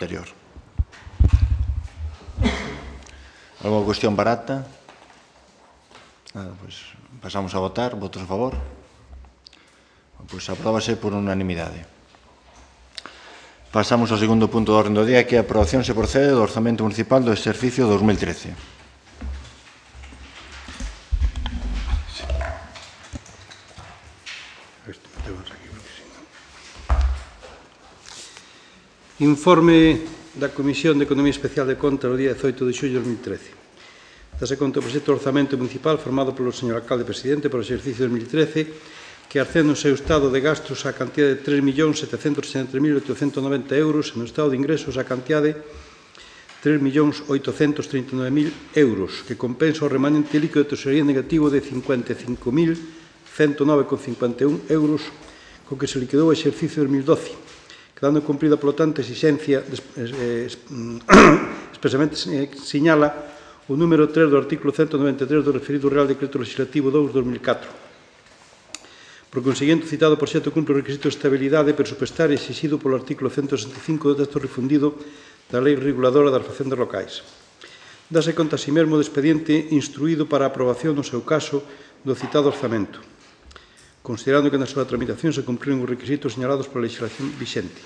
anterior. Alguna cuestión barata? Nada, pois pasamos a votar. Votos a favor? Pois apróbase por unanimidade. Pasamos ao segundo punto do orden do día, que é a aprobación se procede do Orzamento Municipal do exercicio 2013. Informe da Comisión de Economía Especial de Contas do día 18 de xullo de 2013. Dase conta o proxecto de orzamento municipal formado polo señor alcalde presidente para o exercicio 2013 que arcende no seu estado de gastos a cantidade de 3.763.890 euros e no estado de ingresos a cantidade de 3.839.000 euros, que compensa o remanente líquido de tesorería negativo de 55.109,51 euros co que se liquidou o exercicio 2012, quedando cumprida, polo tanto, a exixencia expresamente señala o número 3 do artículo 193 do referido Real Decreto Legislativo 2/2004. Por conseguinte, o citado proxecto cumpre o requisito de estabilidade presupuestaria exixido polo artículo 165 do texto refundido da Lei Reguladora das Facendas Locais. Dase conta así mesmo do expediente instruído para a aprobación, no seu caso, do citado orzamento, considerando que na súa tramitación se cumpriron os requisitos señalados pola legislación vixente.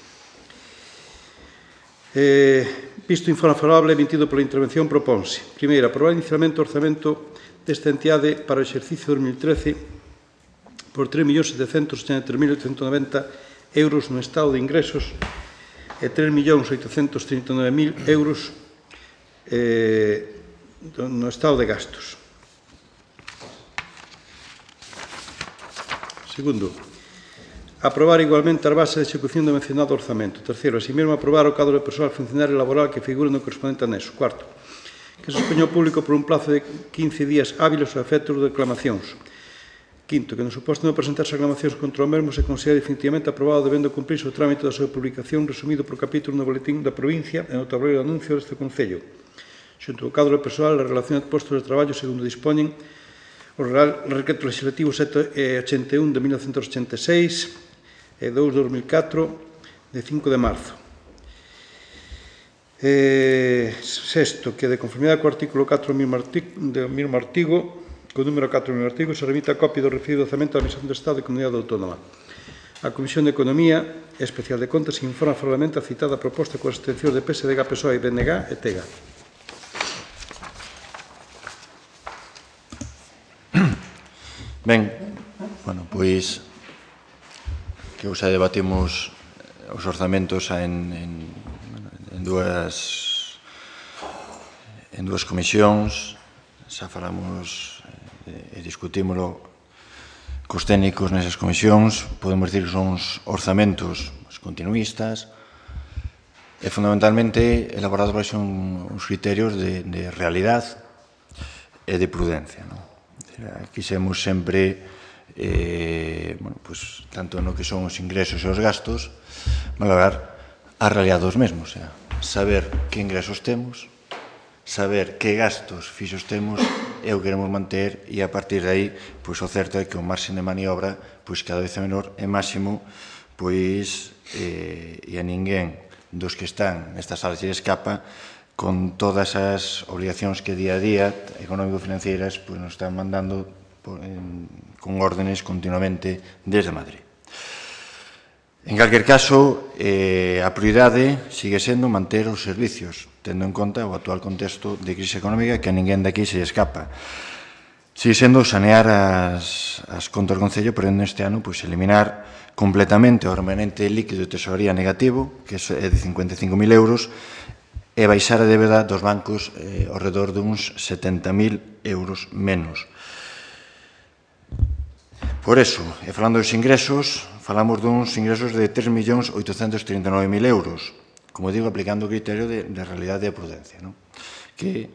Visto o informe favorable emitido pola intervención, proponse, primeiro, aprobar inicialmente o orzamento desta entidade para o exercicio 2013 por 3.783.890 euros no estado de ingresos e 3.839.000 euros no estado de gastos. Segundo, aprobar igualmente as bases de execución do mencionado orzamento. Terceiro, así mesmo aprobar o cadro de persoal funcionario laboral que figura no correspondente anexo. Cuarto, que se expoña ao público por un plazo de 15 días hábiles aos efectos de reclamacións. Quinto, que no suposto de presentarse reclamacións contra o mesmo se considere definitivamente aprobado debendo cumprirse o trámite da súa publicación resumido por capítulo no boletín da provincia e no tablero de anuncios deste Concello, xunto ao cadro de persoal e a relación de postos de traballo segundo dispoñen o Real Decreto Legislativo 781 de 1986 e 2 de 2004 de 5 de marzo. Sexto, que de conformidade co artículo 4 do mesmo artigo, co número 4 do mesmo artigo, se remita a copia do referido orzamento da Administración do Estado e Comunidade Autónoma. A Comisión de Economía Especial de Contas informa favorablemente a citada proposta coas abstencións de PSDG, PSOE, BNG e TEGA. Ben, pois que xa debatimos os orzamentos en dúas comisións, xa falamos e discutímoslo cos técnicos nesas comisións. Podemos dicir que son uns orzamentos continuistas e fundamentalmente elaborados baixo uns criterios de realidade e de prudencia. Quixemos sempre, tanto no que son os ingresos e os gastos, valorar a realidade dos mesmos, saber que ingresos temos, saber que gastos fixos temos e o queremos manter, e a partir de aí, o certo é que o marxen de maniobra cada vez é menor e máximo, e a ninguén dos que están nestas salas lle escapa con todas as obligacións que día a día económico-financeiras nos están mandando con órdenes continuamente desde Madrid. En calquer caso, a prioridade sigue sendo manter os servicios, tendo en conta o actual contexto de crise económica que a ninguén daqui se escapa. Sigue sendo sanear as contas do Concello, pero neste ano eliminar completamente o remanente líquido de tesorería negativo, que é de 55.000 euros, e baixar a débeda dos bancos ao redor duns 70.000 euros menos. Por eso, e falando dos ingresos, falamos duns ingresos de 3.839.000 euros, como digo, aplicando o criterio de realidade e prudencia, que,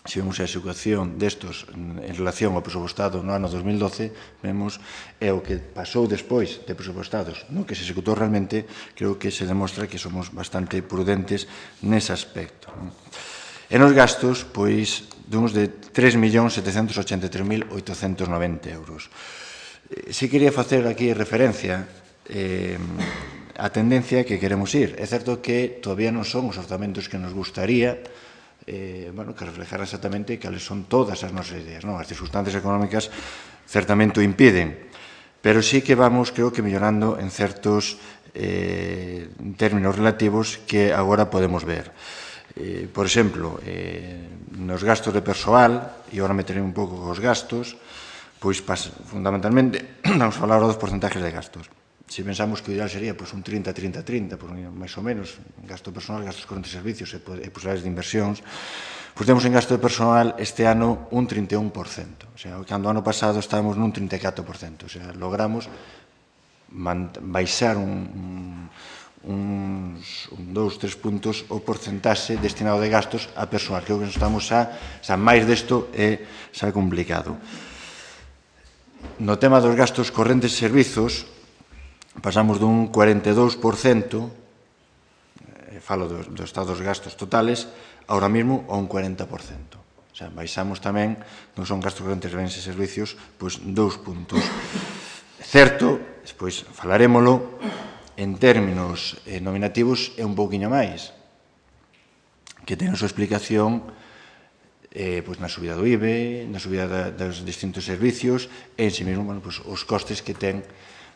se vemos a execución destos en relación ao presupostado no ano 2012, vemos é o que pasou despois de presupostados, no que se executou realmente. Creo que se demostra que somos bastante prudentes nese aspecto. E nos gastos, duns de 3.783.890 euros. Si quería facer aquí referencia a tendencia que queremos ir. É certo que todavía non son os orzamentos que nos gustaría, que reflejar exactamente cales son todas as nosas ideas. As circunstancias económicas certamente o impiden, pero sí que vamos, creo que, mellorando en certos términos relativos que agora podemos ver. Por exemplo, nos gastos de persoal, e agora meterei un pouco cos gastos, pois fundamentalmente vamos a falar dos porcentajes de gastos. Se pensamos que o ideal sería un 30-30-30, máis ou menos, gasto personal, gastos correntes de servicios e posibilidades de inversións, pois temos en gasto de personal este ano un 31%. O sea, cando o ano pasado estábamos nun 34%. O sea, logramos baixar uns 2-3 puntos o porcentaxe destinado de gastos a personal. Creo que estamos máis desto é complicado. No tema dos gastos correntes de servizos, pasamos dun 42%, falo do estado dos gastos totales, ahora mesmo a un 40%. O sea, baixamos tamén, non son gastos correntes de bens e servicios, pois 2 puntos. Certo, despois falarémolo, en términos nominativos é un pouquiño máis, que ten a súa explicación na subida do IBE, na subida dos distintos servicios, e en si mesmo os costes que ten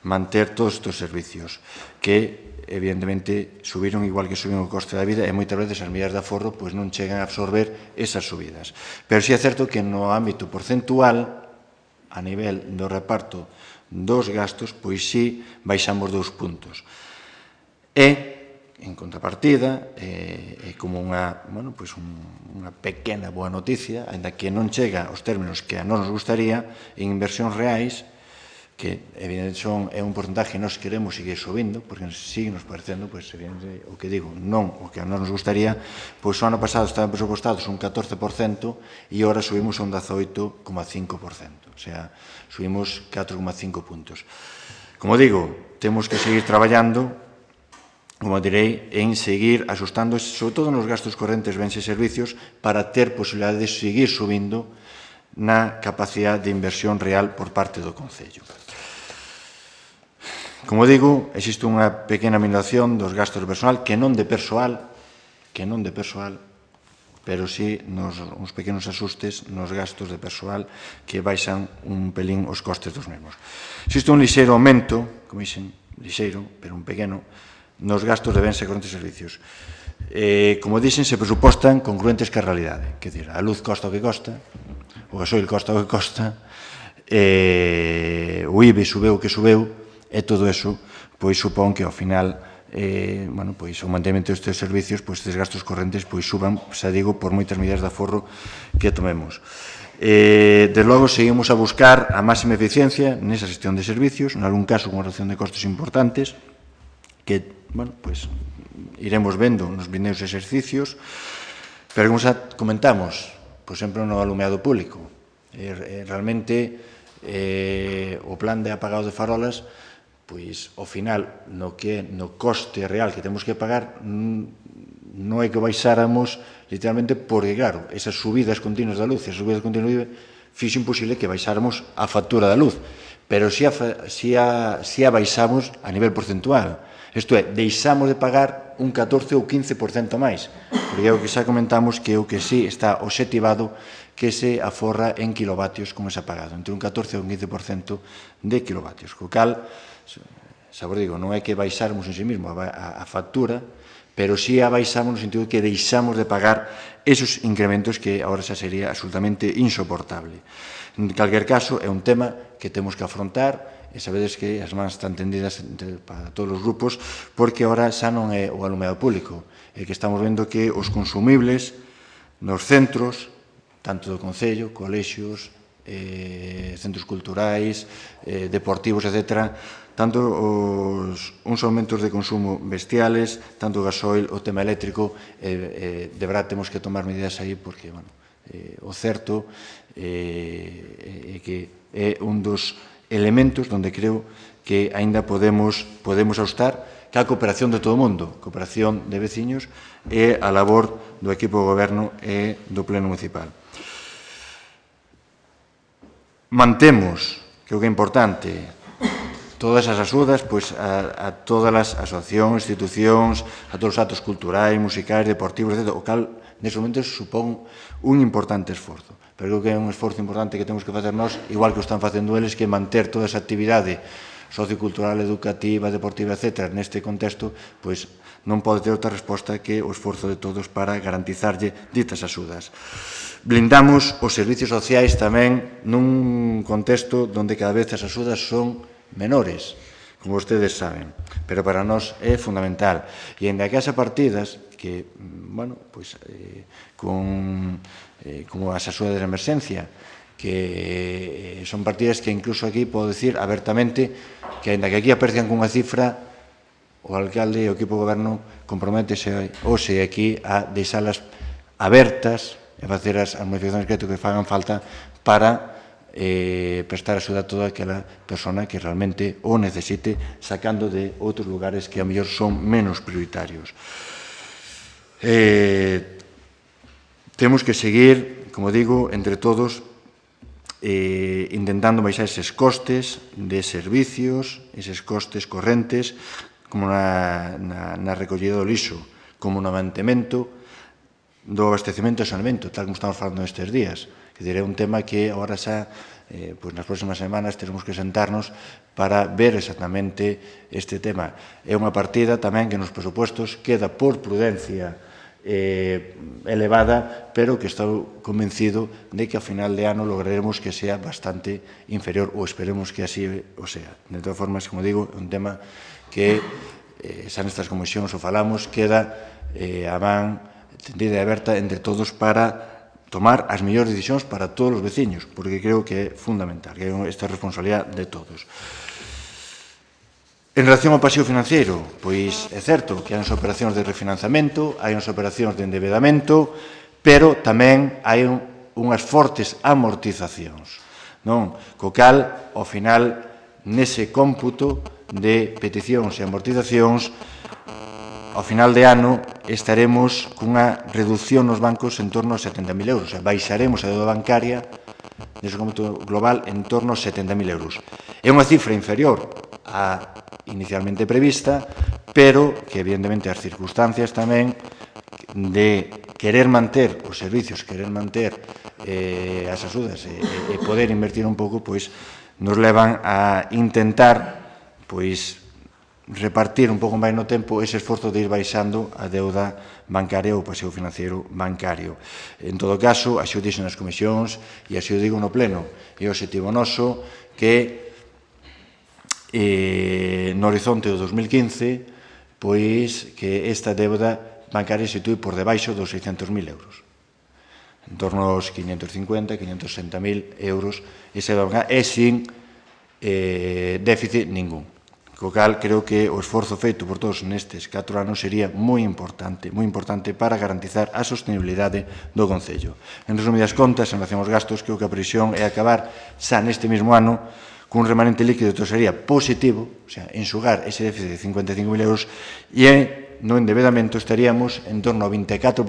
manter todos estes servicios, que evidentemente subiron igual que subiron o coste da vida e moitas veces as medidas de aforro non chegan a absorber esas subidas. Pero si é certo que no ámbito porcentual, a nivel do reparto dos gastos, pois sí baixamos 2 puntos. E, en contrapartida, é como unha pequena boa noticia, ainda que non chega aos términos que a nos gustaría, en inversións reais, que evidentemente é un porcentaje que nós queremos seguir subindo, porque sigue nos parecendo, evidentemente, o que digo, non o que a nos gustaría, pois o ano pasado estaban presupostados un 14% e agora subimos a un 18,5%, o sea, subimos 4,5 puntos. Como digo, temos que seguir traballando, como direi, en seguir axustando, sobre todo nos gastos correntes, bens e servicios, para ter posibilidade de seguir subindo na capacidade de inversión real por parte do Concello. Como digo, existe unha pequena minoración dos gastos de personal, que non de persoal, pero sí uns pequenos asustes nos gastos de persoal que baixan un pelín os costes dos mesmos. Existe un lixeiro aumento, como dixen, lixeiro, pero un pequeno, nos gastos de bens e correntes servicios. Como dixen, se presupostan congruentes que a realidade. Quer dizer, a luz costa o que costa, o gasoil costa o que costa, o IBE subeu o que subeu, e todo eso supón que ao final o mantemento destes servicios, estes gastos correntes suban, xa digo, por moitas medidas de aforro que tomemos. Desde logo, seguimos a buscar a máxima eficiencia nesa xestión de servicios, en algún caso con reducción de costes importantes, que iremos vendo nos vindeiros exercicios, pero como xa comentamos, por exemplo, no alumeado público, realmente o plan de apagado de farolas, pois, ao final, no coste real que temos que pagar, non é que baixáramos, literalmente, porque, claro, esas subidas continuas da luz, esas subidas continuas da luz, fixo imposible que baixáramos a factura da luz, pero si a baixamos a nivel porcentual. Isto é, deixamos de pagar un 14 ou 15% máis, porque é o que xa comentamos que o que sí está obxectivado que se aforra en kilovatios como se ha pagado, entre un 14 e un 15% de kilovatios, co cal, xa vos digo, non é que baixáramos en sí mesmo a factura, pero sí a baixamos no sentido que deixamos de pagar esos incrementos que agora xa sería absolutamente insoportable. En calquer caso, é un tema que temos que afrontar, e sabedes que as mans están tendidas para todos os grupos, porque agora xa non é o alumeado público, é que estamos vendo que os consumibles nos centros, tanto do Concello, colexios, centros culturais, deportivos, etc., tanto uns aumentos de consumo bestiales, tanto o gasoil, o tema eléctrico, de verdad temos que tomar medidas aí, porque o certo é que é un dos elementos onde creo que aínda podemos ajustar, que a cooperación de todo o mundo, cooperación de veciños e a labor do equipo de goberno e do pleno municipal. Mantemos, creo que é importante, todas as axudas a todas as asociacións, institucións, a todos os actos culturais, musicais, deportivos, etc. O cal, nese momento, supón un importante esforzo. Pero creo que é un esforzo importante que temos que facer nós, igual que o están facendo eles, que manter toda esa actividade sociocultural, educativa, deportiva, etc. Neste contexto, pois non pode ter outra resposta que o esforzo de todos para garantizarlle ditas axudas. Blindamos os servicios sociais tamén nun contexto onde cada vez as axudas son menores, como vostedes saben, pero para nós é fundamental. E ainda que as partidas que, bueno, pois, como as axudas de emerxencia, que son partidas que incluso aquí podo decir abertamente que ainda que aquí aparezcan cunha cifra, o alcalde e o equipo de goberno comprométese hoxe aquí a deixalas abertas e facer as modificacións que fagan falta para prestar axuda a toda aquela persona que realmente o necesite, sacando de outros lugares que a mellor son menos prioritarios. Temos que seguir, como digo, entre todos, intentando baixar eses costes de servicios, eses costes correntes, como na recollida do lixo, como no mantemento do abastecemento e saneamento, tal como estamos falando estes días. É un tema que agora xa, nas próximas semanas, teremos que sentarnos para ver exactamente este tema. É unha partida tamén que nos presupuestos queda por prudencia elevada, pero que estou convencido de que a final de ano lograremos que sea bastante inferior, ou esperemos que así o sea. De todas formas, como digo, é un tema que xa nestas comisións o falamos, queda a man tendida e aberta entre todos para tomar as mellores decisións para todos os veciños, porque creo que é fundamental, que esta é a responsabilidade de todos. En relación ao pasivo financiero, pois é certo que hai unhas operacións de refinanciamento, hai unhas operacións de endebedamento, pero tamén hai unhas fortes amortizacións, non? Co cal, ao final, nese cómputo de peticións e amortizacións, ao final de ano estaremos cunha reducción nos bancos en torno a 70.000 euros. Baixaremos a deuda bancaria nese cómputo global en torno a 70.000 euros. É unha cifra inferior a inicialmente prevista, pero que evidentemente as circunstancias tamén de querer manter os servicios, querer manter as axudas e poder invertir un pouco, pois nos levan a intentar pois repartir un pouco máis no tempo ese esforzo de ir baixando a deuda bancaria ou pasivo financiero bancario. En todo caso, así o dixen nas comisións e así o digo no pleno, é o objetivo noso que no horizonte do 2015 pois que esta deuda bancaria se situe por debaixo dos 600.000 euros, en torno aos 550, 560.000 euros esa deuda bancaria e sin déficit ningún. Co cal, creo que o esforzo feito por todos nestes 4 anos sería moi importante para garantizar a sostenibilidade do Concello. En resumidas contas, en relación aos gastos, creo que a previsión é acabar xa neste mesmo ano cun remanente líquido de tesorería positivo, o sea, enxugar ese déficit de 55.000 euros, e no endebedamento estaríamos en torno ao 24%,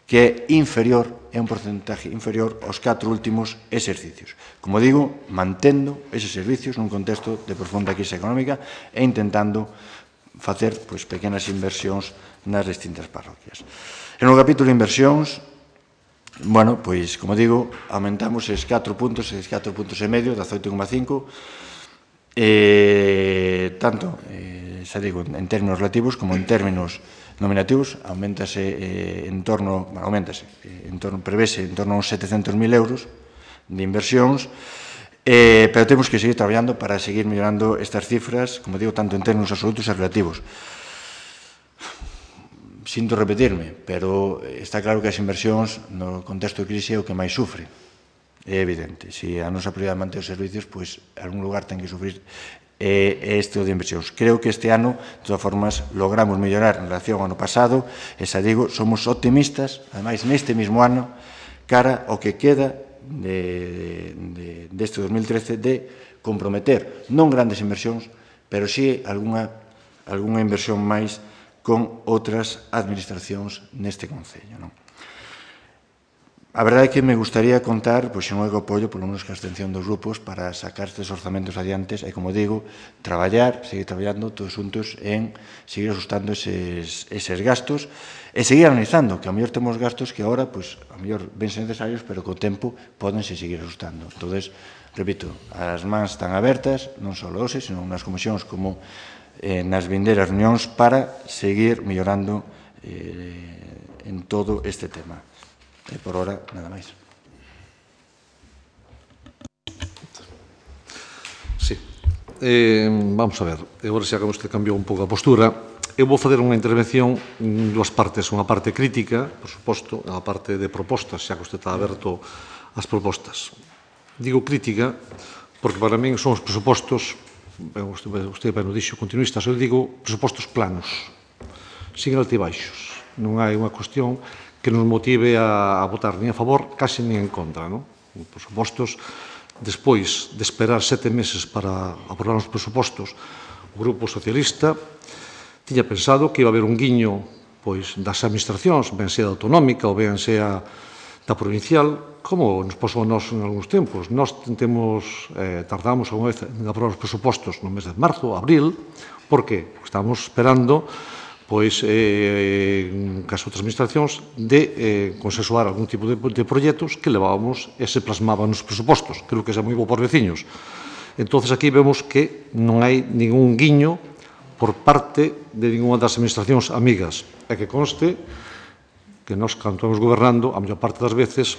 que é inferior, é un porcentaje inferior aos 4 últimos exercicios. Como digo, mantendo eses servicios nun contexto de profunda crise económica e intentando facer pequenas inversións nas distintas parroquias. En o capítulo de inversións, bueno, pois, como digo, aumentamos esses 4 puntos e medio, 18,5, tanto, xa digo, en términos relativos como en términos nominativos, prevese en torno a uns 700.000 euros de inversións, pero temos que seguir traballando para seguir mellorando estas cifras, como digo, tanto en términos absolutos e relativos. Sinto repetirme, pero está claro que as inversións no contexto de crise é o que máis sufre. É evidente. Se a nosa prioridade é manter os servicios, pois, en algún lugar ten que sufrir este de inversións. Creo que este ano, de todas formas, logramos mellorar en relación ao ano pasado, e xa digo, somos optimistas, ademais, neste mesmo ano, cara ao que queda deste 2013 de comprometer, non grandes inversións, pero sí algunha inversión máis con outras administracións neste Concello. A verdade é que me gustaría contar, pois, con o apoio, polo menos que a abstención dos grupos, para sacar estes orzamentos adiantes e, como digo, seguir traballando todos xuntos en seguir ajustando eses gastos e seguir analizando, que a mellor temos gastos que agora, pois, a mellor vense necesarios, pero co tempo podense seguir ajustando. Entón, repito, as mans están abertas, non só hoxe, senón nas comisións como nas vindeiras reunións para seguir mellorando en todo este tema. E por hora, nada máis. Sí. Vamos a ver. Agora xa que vostede cambiou un pouco a postura, eu vou fazer unha intervención en dúas partes. Unha parte crítica, por suposto, e unha parte de propostas, xa que vostede está aberto ás propostas. Digo crítica porque para min son os presupostos, vostede ben o dixo, continuistas, eu digo presupostos planos, sin altibaixos. Non hai unha cuestión que nos motive a votar nin a favor, case nin en contra. Por supostos, despois de esperar 7 meses para aprobar os presupostos, o Grupo Socialista tiña pensado que iba a haber un guiño das administracións, ben sea da autonómica ou ben sea da provincial, como nos pasou a nós en algúns tempos. Nós tardamos unha vez en aprobar os presupostos no mes de marzo, abril. Por qué? Porque estábamos esperando cas outras administracións, de consensuar algún tipo de proxectos que levábamos e se plasmaban nos presupostos. Creo que é moi bo por veciños. Entón, aquí vemos que non hai ningún guiño por parte de ninguna das administracións amigas. E que conste que nós, cando estamos gobernando, a maior parte das veces,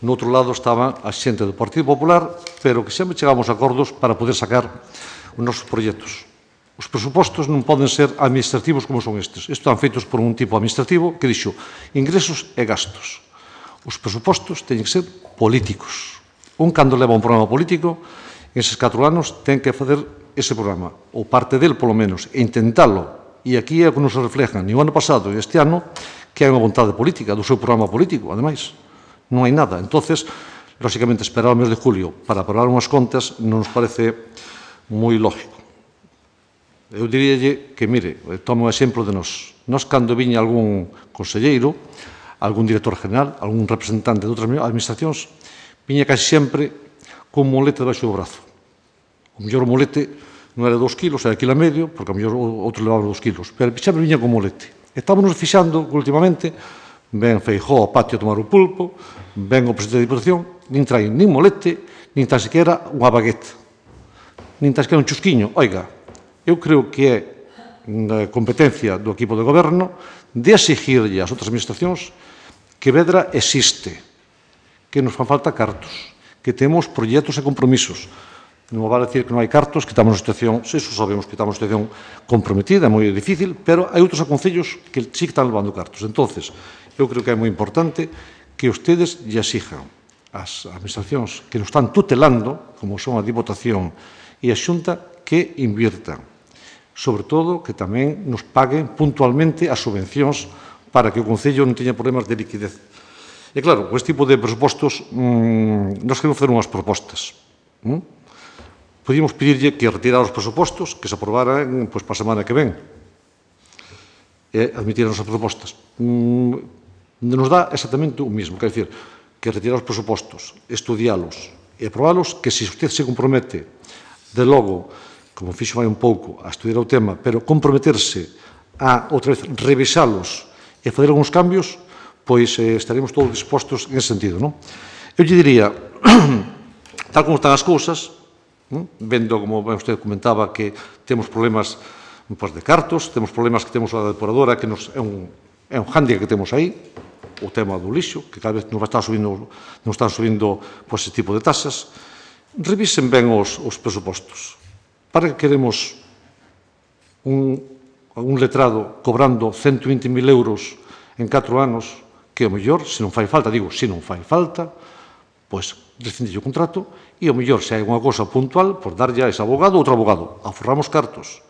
no outro lado estaba a xente do Partido Popular, pero que sempre chegamos a acordos para poder sacar os nosos proxectos. Os presupostos non poden ser administrativos como son estes. Estes están feitos por un tipo administrativo que dixo ingresos e gastos. Os presupostos teñen que ser políticos. Un, cando leva un programa político, eses 4 anos ten que fazer ese programa, ou parte del, polo menos, e intentalo. E aquí é o que nos reflejan, ni o ano pasado e este ano, que hai unha vontade política do seu programa político, ademais. Non hai nada. Entonces, lóxicamente, esperar o mes de julio para aprobar unhas contas non nos parece moi lógico. Eu diríalle que, mire, tomo o exemplo de nós. Nós, cando viña algún conselleiro, algún director general, algún representante de outras administracións, viña casi sempre con molete debaixo do brazo. O mellor molete non era 2 kilos, era 1,5 kg, porque o mellor outro levaba 2 kilos, pero sempre viña con molete. Estámonos fixando que últimamente ven Feijóo ao patio a tomar o pulpo, ven o presidente da Diputación, nin traen nin molete, nin tan sequera unha baguete, nin tan sequera un chusquiño. Oiga, eu creo que é a competencia do equipo de goberno de exigirlle ás outras administracións que Vedra existe, que nos fan falta cartos, que temos proxectos e compromisos. Non vale decir que non hai cartos, que estamos na situación, se iso sabemos que estamos na situación comprometida, é moi difícil, pero hai outros aconcellos que sí que están levando cartos. Entonces, eu creo que é moi importante que ustedes lle exijan ás administracións que nos están tutelando, como son a Diputación e a Xunta, que inviertan. Sobre todo, que tamén nos paguen puntualmente as subvencións para que o Concello non teña problemas de liquidez. E claro, con este tipo de presupostos, nos queremos facer unhas propostas. Podíamos pedirlle que retirara os presupostos, que se aprobaran para a semana que ven, e admitir as nosas propostas. Nos dá exactamente o mismo, quer dizer, que retirar os presupostos, estudialos e aprobalos, que se usted se compromete de logo, como fixo vai un pouco, a estudiar o tema, pero comprometerse a, outra vez, revisalos e fazer algúns cambios, pois estaremos todos dispostos en ese sentido. Eu lle diría, tal como están as cousas, vendo, como usted comentaba, que temos problemas de cartos, temos problemas que temos a depuradora, que é un hándicap que temos aí, o tema do lixo, que cada vez nos están subindo ese tipo de tasas. Revisen ben os presupostos. Para que queremos un letrado cobrando 120.000 euros en 4 anos, que o mellor, se non fai falta, pois rescindille o contrato e o mellor, se hai unha cousa puntual, pois darlle a ese abogado outro abogado. Aforramos cartos.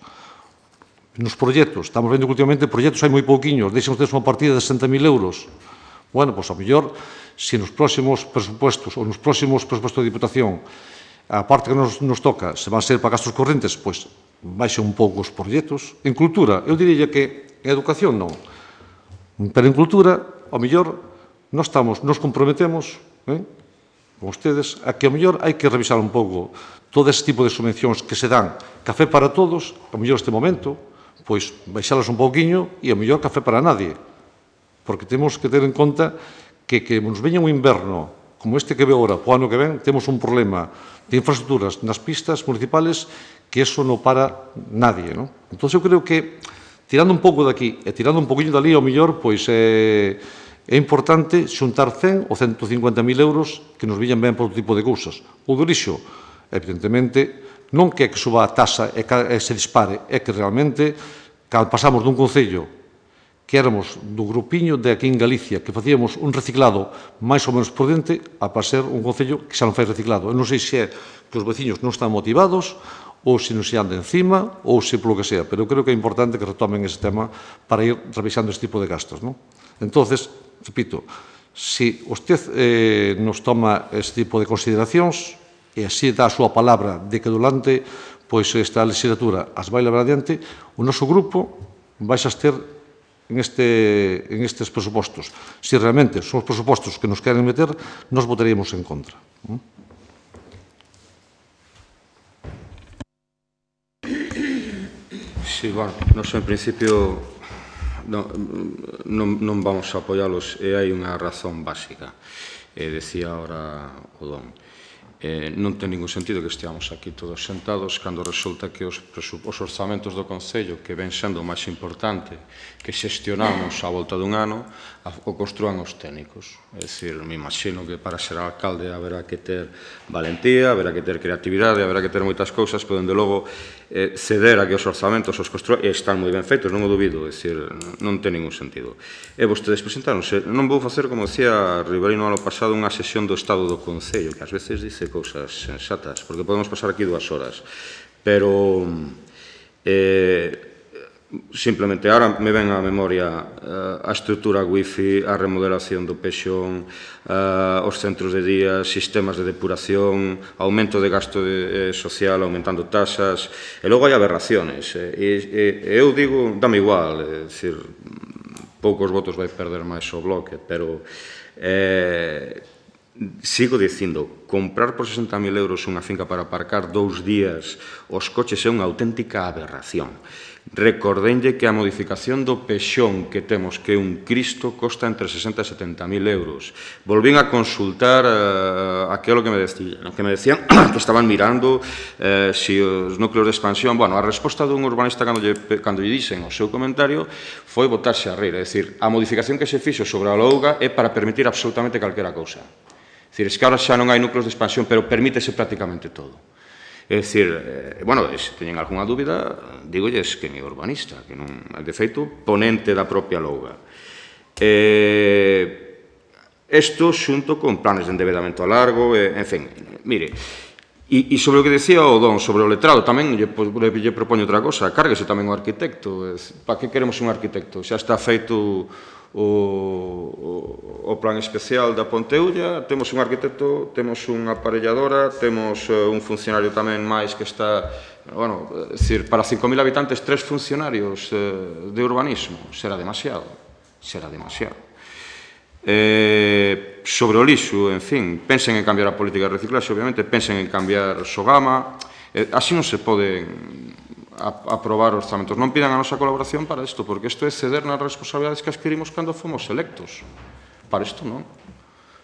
Nos proxectos, estamos vendo que últimamente proxectos hai moi pouquiños, deixen ustedes unha partida de 60.000 euros. Bueno, pois ao mellor, se nos próximos presupostos ou nos próximos presupostos de Diputación a parte que nos toca, se van ser para gastos correntes, pois baixe un pouco os proxectos. En cultura, eu diría que en educación non, pero en cultura, ao mellor, nos comprometemos con ustedes a que, ao mellor, hai que revisar un pouco todo ese tipo de subvencións que se dan. Café para todos, ao mellor este momento, pois baixalas un pouquiño e ao mellor café para nadie. Porque temos que ter en conta que nos veña un inverno como este que ve agora, o ano que ven, temos un problema de infraestructuras nas pistas municipales que eso non para nadie. Entón, eu creo que, tirando un pouco daqui e tirando un poquinho dali, ao mellor, pois é importante xuntar 100 ou 150.000 euros que nos viñan ben por outro tipo de cousas. O do lixo, evidentemente, non que suba a taxa e se dispare, é que realmente, cando pasamos dun concello que éramos do grupiño de aquí en Galicia, que facíamos un reciclado máis ou menos prudente, a pasar un concello que xa non fai reciclado. Eu non sei se é que os veciños non están motivados, ou se non se anda encima, ou se polo que sea, pero eu creo que é importante que retomen ese tema para ir revisando este tipo de gastos. Entonces, repito, se usted nos toma este tipo de consideracións e así dá a súa palabra de que durante esta legislatura as vai levar adiante, o noso grupo vai a ter en estes presupostos. Se realmente son os presupostos que nos queren meter, nos votaríamos en contra. Sí, bueno, nos en principio non vamos a apoialos e hai unha razón básica. Decía ahora o Don. Non ten ningún sentido que esteamos aquí todos sentados cando resulta que os orzamentos do Concello, que ven sendo o máis importante que xestionamos a volta dun ano, o construan os técnicos. É dicir, me imagino que para ser alcalde haberá que ter valentía, haberá que ter creatividade, haberá que ter moitas cousas, pero, dende logo, ceder a que os orzamentos os construan, e están moi ben feitos, non o dubido, é dicir, non ten ningún sentido. E vostedes presentáronse, non vou facer, como decía Riverino ano pasado, unha sesión do Estado do Concello, que ás veces dice cousas sensatas, porque podemos pasar aquí 2 horas, pero simplemente ahora me ven á memoria a estrutura wifi, a remodelación do pexón, os centros de día, sistemas de depuración, aumento de gasto social, aumentando taxas, e logo hai aberraciones. Eu digo, dame igual, é dicir, poucos votos vai perder máis o Bloque, pero sigo dicindo, comprar por 60.000 euros unha finca para aparcar 2 días os coches é unha auténtica aberración. Recordenlle que a modificación do pexón que temos, que é un Cristo, costa entre 60 e 70.000 euros. Volvín a consultar aquilo que me decían que estaban mirando se os núcleos de expansión. Bueno, a resposta dun urbanista cando lle dixen o seu comentario foi botarse a rir. É dicir, a modificación que se fixo sobre a Louga é para permitir absolutamente calquera cousa. É dicir, es que ahora xa non hai núcleos de expansión, pero permítese prácticamente todo. É dicir, bueno, se teñen algunha dúbida, dígolles que é urbanista, que non é, de feito, ponente da propia Louga. Isto xunto con planes de endevedamento a largo, en fin, mire, e sobre o que decía o Don, sobre o letrado, tamén lle propoño outra cosa, cárguese tamén o arquitecto. Para que queremos un arquitecto? Xa está feito o plan especial da Ponteulla, temos un arquitecto, temos unha aparelladora, temos un funcionario tamén máis que está, bueno, decir, para 5.000 habitantes 3 funcionarios de urbanismo, será demasiado, será demasiado. Sobre o lixo, en fin, pensen en cambiar a política de reciclaxe, obviamente, pensen en cambiar Sogama, así non se pode aprobar orzamentos. Non pidan a nosa colaboración para isto, porque isto é ceder nas responsabilidades que adquirimos cando fomos electos. Para isto non.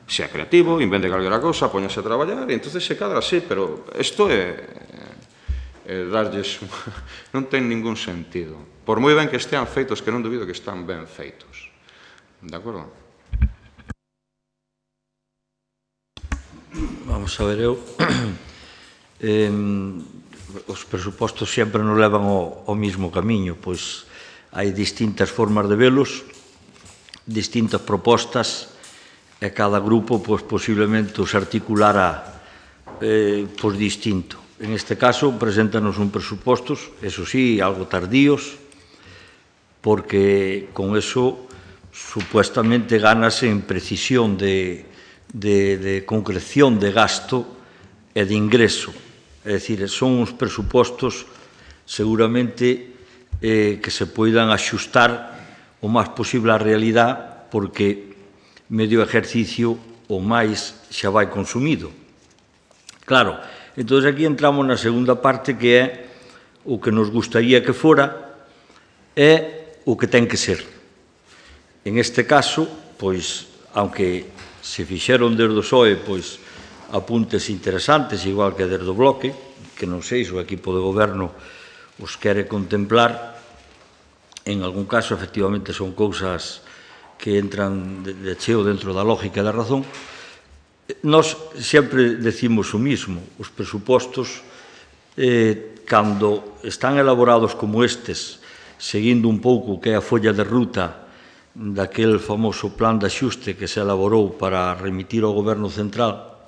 Sea creativo, invente calquera cousa, poñase a traballar, e entonces se cadra así, pero isto é darlles... non ten ningún sentido. Por moi ben que estean feitos, que non dubido que están ben feitos. De acordo? Vamos a ver, eu... os presupostos sempre nos levan ao mesmo camiño, pois hai distintas formas de velos, distintas propostas, e cada grupo posiblemente os articulará distinto. En este caso, preséntanos un presupostos, eso sí, algo tardíos, porque con eso supuestamente ganase en precisión de concreción de gasto e de ingreso. É dicir, son uns presupostos seguramente que se poidan axustar o máis posible á realidade, porque medio exercicio ou máis xa vai consumido. Claro, entón aquí entramos na segunda parte, que é o que nos gustaría que fora e o que ten que ser. En este caso, pois, aunque se fixeron desde o PSOE pois, apuntes interesantes, igual que desde o Bloque, que non sei se o equipo de goberno os quere contemplar, en algún caso, efectivamente, son cousas que entran de cheo dentro da lógica e da razón. Nós sempre decimos o mismo: os presupostos, cando están elaborados como estes, seguindo un pouco que é a folla de ruta daquel famoso plan de axuste que se elaborou para remitir ao Goberno Central,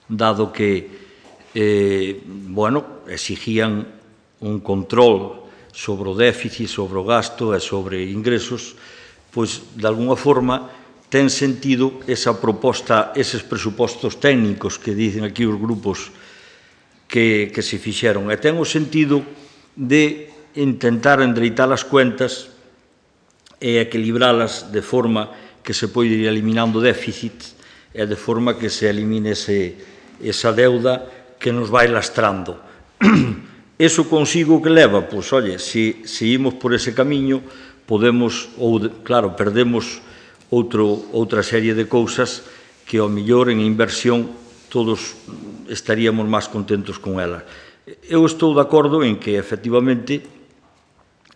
dado que exigían un control sobre o déficit, sobre o gasto e sobre ingresos, pois, de alguna forma, ten sentido esa proposta, eses presupostos técnicos que dicen aquí os grupos que se fixeron. E ten o sentido de intentar endereitar as cuentas e equilibralas de forma que se pode ir eliminando déficit e de forma que se elimine esa deuda que nos vai lastrando. Eso consigo que leva? Pois, oye, se imos por ese camiño, podemos, ou, claro, perdemos outra serie de cousas que, ao mellor, en inversión, todos estaríamos máis contentos con ela. Eu estou de acordo en que, efectivamente,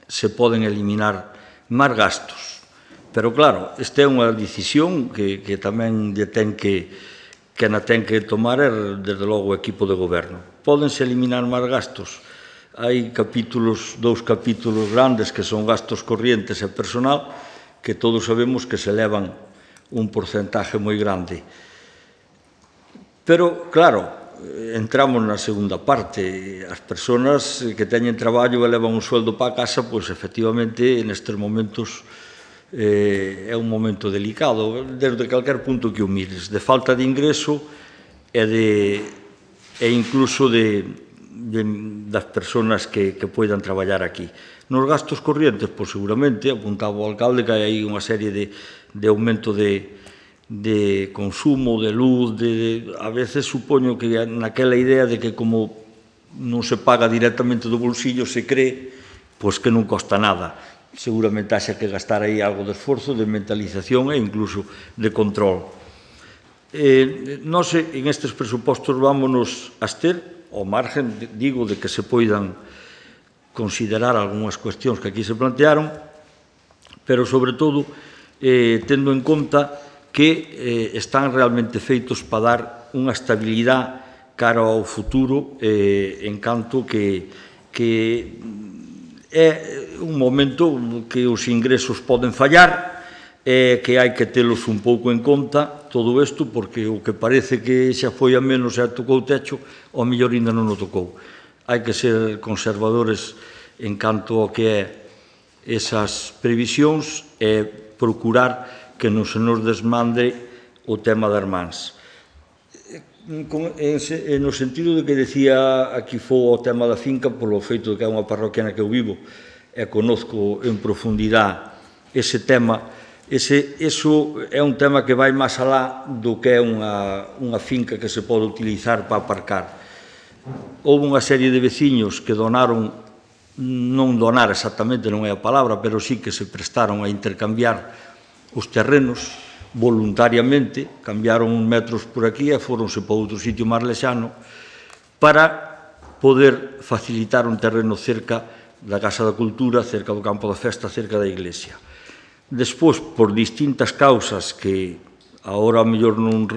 se poden eliminar máis gastos. Pero, claro, esta é unha decisión que tamén ten que tomar, desde logo, o equipo de goberno. Pódense eliminar máis gastos. Hai dous capítulos grandes que son gastos corrientes e personal, que todos sabemos que se elevan un porcentaje moi grande. Pero, claro, entramos na segunda parte. As persoas que teñen traballo e levan un sueldo para a casa, pois, efectivamente, nestes momentos é un momento delicado, desde calquer punto que o mires, de falta de ingreso e incluso das persoas que poidan traballar aquí. Nos gastos corrientes, pois, seguramente, apuntaba o alcalde, que hai aí unha serie de aumento de consumo, de luz, a veces supoño que naquela idea de que como non se paga directamente do bolsillo, se cree pois que non costa nada. Seguramente haxa que gastar aí algo de esforzo, de mentalización e incluso de control. Nós, en estes presupostos, vámonos a abster, ao margen, digo, de que se poidan considerar algunhas cuestións que aquí se plantearon, pero, sobre todo, tendo en conta que están realmente feitos para dar unha estabilidade cara ao futuro, en canto que é un momento que os ingresos poden fallar, que hai que telos un pouco en conta, todo isto, porque o que parece que xa foi a menos e tocou o techo, ao mellor ainda non o tocou. Hai que ser conservadores en canto ao que é esas previsións e procurar que non se nos desmande o tema das mans. No sentido de que decía aquí foi o tema da finca, polo feito de que é unha parroquia na que eu vivo e conozco en profundidade ese tema. Eso é un tema que vai máis alá do que é unha finca que se pode utilizar para aparcar. Houve unha serie de veciños que donaron, non donar exactamente, non é a palabra, pero sí que se prestaron a intercambiar os terrenos voluntariamente, cambiaron uns metros por aquí e foronse para outro sitio máis lexano para poder facilitar un terreno cerca da Casa da Cultura, cerca do campo da festa, cerca da iglesia. Despois, por distintas causas que agora ao mellor non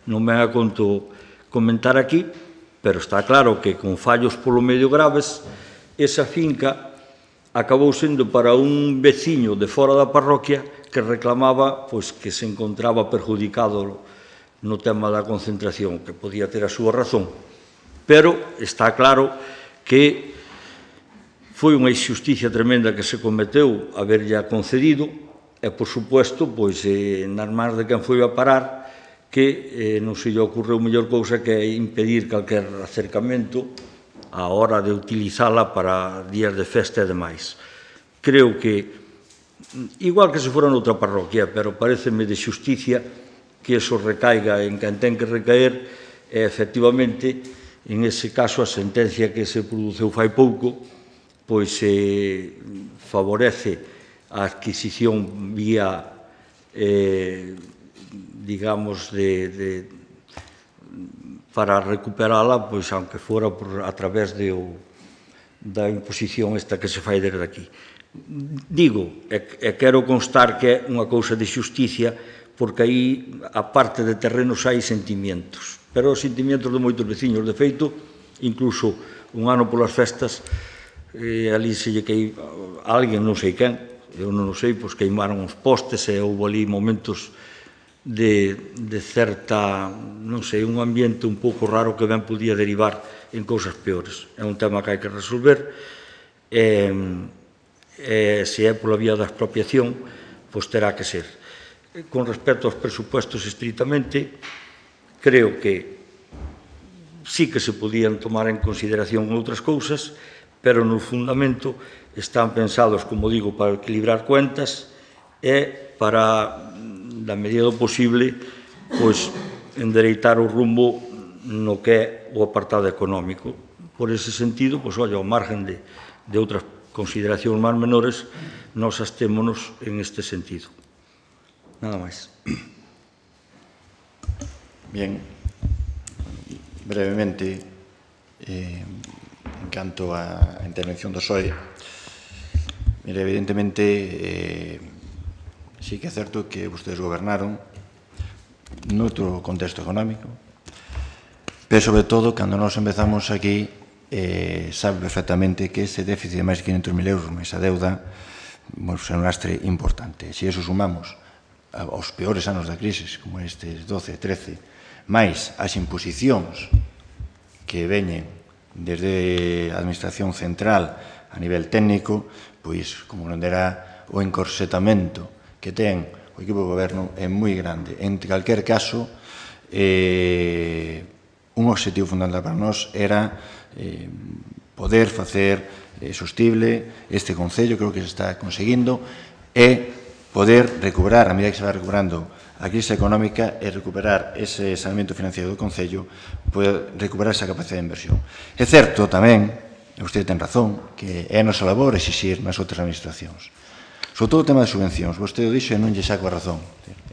me a conto comentar aquí, pero está claro que con fallos polo medio graves, esa finca acabou sendo para un veciño de fora da parroquia que reclamaba pois, que se encontraba perjudicado no tema da concentración, que podía ter a súa razón. Pero está claro que foi unha injusticia tremenda que se cometeu haberlle concedido e, por suposto, pois, nas mans de quen foi a parar, que non se lle ocorreu mellor cousa que impedir calquer acercamento á hora de utilizala para días de festa e demais. Creo que igual que se fora noutra parroquia, pero pareceme de xusticia que eso recaiga en quen ten que recaer e, efectivamente, en ese caso, a sentencia que se produceu fai pouco, pois favorece a adquisición vía, digamos, para recuperala, pois, aunque fora a través da imposición esta que se fai desde aquí. Digo, e quero constar que é unha cousa de xusticia, porque aí, a parte de terrenos, hai sentimientos. Pero os sentimientos de moitos veciños, de feito, incluso un ano polas festas, ali se lle queimou, alguén, non sei quen, eu non o sei, pois queimaron os postes e houve ali momentos de certa, non sei, un ambiente un pouco raro que ben podía derivar en cousas peores. É un tema que hai que resolver e se é pola vía da expropiación, pois terá que ser. Con respecto aos presupuestos estritamente, creo que sí que se podían tomar en consideración outras cousas, pero no fundamento están pensados, como digo, para equilibrar cuentas e para, da medida do posible, pois, endereitar o rumbo no que é o apartado económico. Por ese sentido, pois, olha, ao margen de outras consideracións máis menores, nós abstémonos en este sentido. Nada máis. Bien, brevemente, en canto á intervención do PSOE, mire, evidentemente, sí que é certo que vostedes gobernaron noutro contexto económico, pero, sobre todo, cando nós empezamos aquí, sabe perfectamente que ese déficit de máis de 500.000 euros, máis a deuda, é un lastre importante. Se iso sumamos aos peores anos da crise, como estes 12, 13, máis as imposicións que veñen desde a Administración Central a nivel técnico, pois, como non derá, o encorsetamento que ten o equipo de goberno é moi grande. En calquer caso, un objetivo fundamental para nós era poder facer sostible este Concello, creo que se está conseguindo, e poder recuperar, a medida que se va recuperando a crise económica, e recuperar ese saneamento financiero do Concello, poder recuperar esa capacidade de inversión. É certo tamén, e vostede ten razón, que é a nosa labor exixir nas outras administracións. Sobre todo o tema de subvencións, vostede o dixo e non lle saco a razón.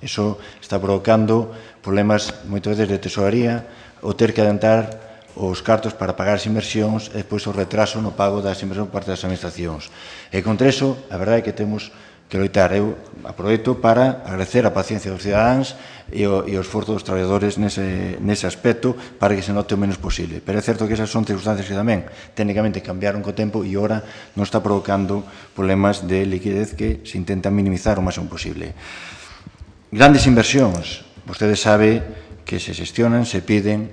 Iso está provocando problemas moitas veces de tesoraría, o ter que adelantar os cartos para pagar as inversións e depois o retraso no pago das inversións por parte das administracións. E contra iso, a verdade é que temos que loitar. Eu aproveito para agradecer a paciencia dos cidadáns e o esforzo dos traballadores nese aspecto para que se note o menos posible. Pero é certo que esas son circunstancias que tamén técnicamente cambiaron co tempo e ora non está provocando problemas de liquidez que se intenta minimizar o máximo posible. Grandes inversións, vostede sabe que se xestionan, se piden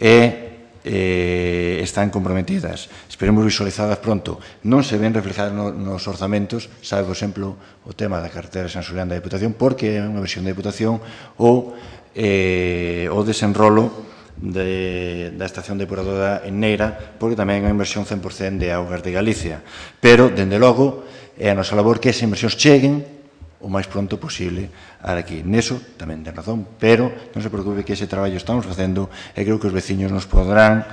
e están comprometidas. Esperemos visualizadas pronto. Non se ven reflejadas nos orzamentos, sabe, por exemplo, o tema da carretera de San Xulián da Deputación, porque é unha versión da Deputación, ou o desenrolo da estación depuradora en Neira, porque tamén é unha inversión 100% de Augas de Galicia. Pero, dende logo, é a nosa labor que esas inversións cheguen o máis pronto posible aquí. Neso tamén ten razón, pero non se preocupe que ese traballo estamos facendo e creo que os veciños nos poderán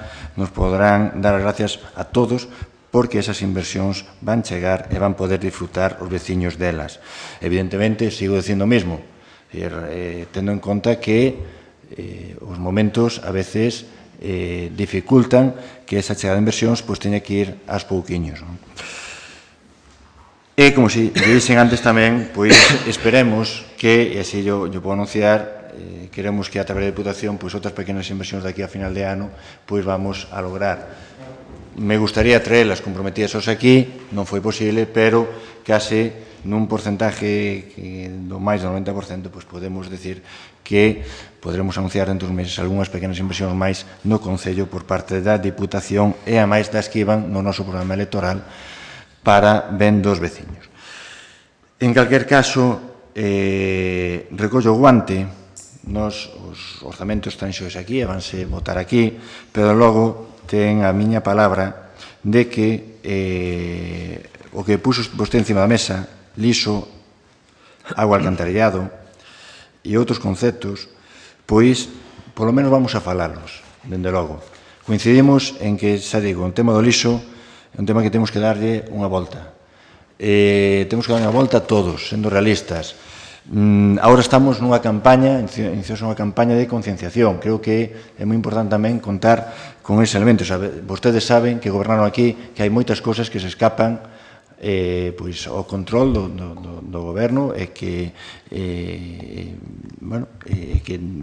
dar as gracias a todos porque esas inversións van chegar e van poder disfrutar os veciños delas. Evidentemente, sigo dicindo o mesmo, tendo en conta que os momentos a veces dificultan que esa chegada de inversións teña que ir aos pouquiños, non? E, como se dixen antes tamén, pois esperemos que, e así yo podo anunciar, queremos que a través da Deputación, pois outras pequenas inversións daqui a final de ano, pois vamos a lograr. Me gustaría traerlas comprometidas aquí, non foi posible, pero case nun porcentaje do máis do 90%, pois podemos decir que poderemos anunciar dentro dos meses algunhas pequenas inversións máis no Concello por parte da Diputación e a máis das que iban no noso programa electoral para ben dos veciños. En calquer caso, recollo o guante, os orzamentos están xos aquí e vanse votar aquí, pero logo ten a miña palabra de que o que puxo vostede encima da mesa, liso agua alcantarillado e outros conceptos, pois, polo menos vamos a falalos, dende logo. Coincidimos en que, xa digo, o tema do lixo é un tema que temos que darlle unha volta. Temos que dar unha volta a todos, sendo realistas. Agora estamos nunha campaña, iniciouse unha campaña de concienciación. Creo que é moi importante tamén contar con ese elemento. Vostedes saben que gobernaron aquí que hai moitas cousas que se escapan ao control do goberno e que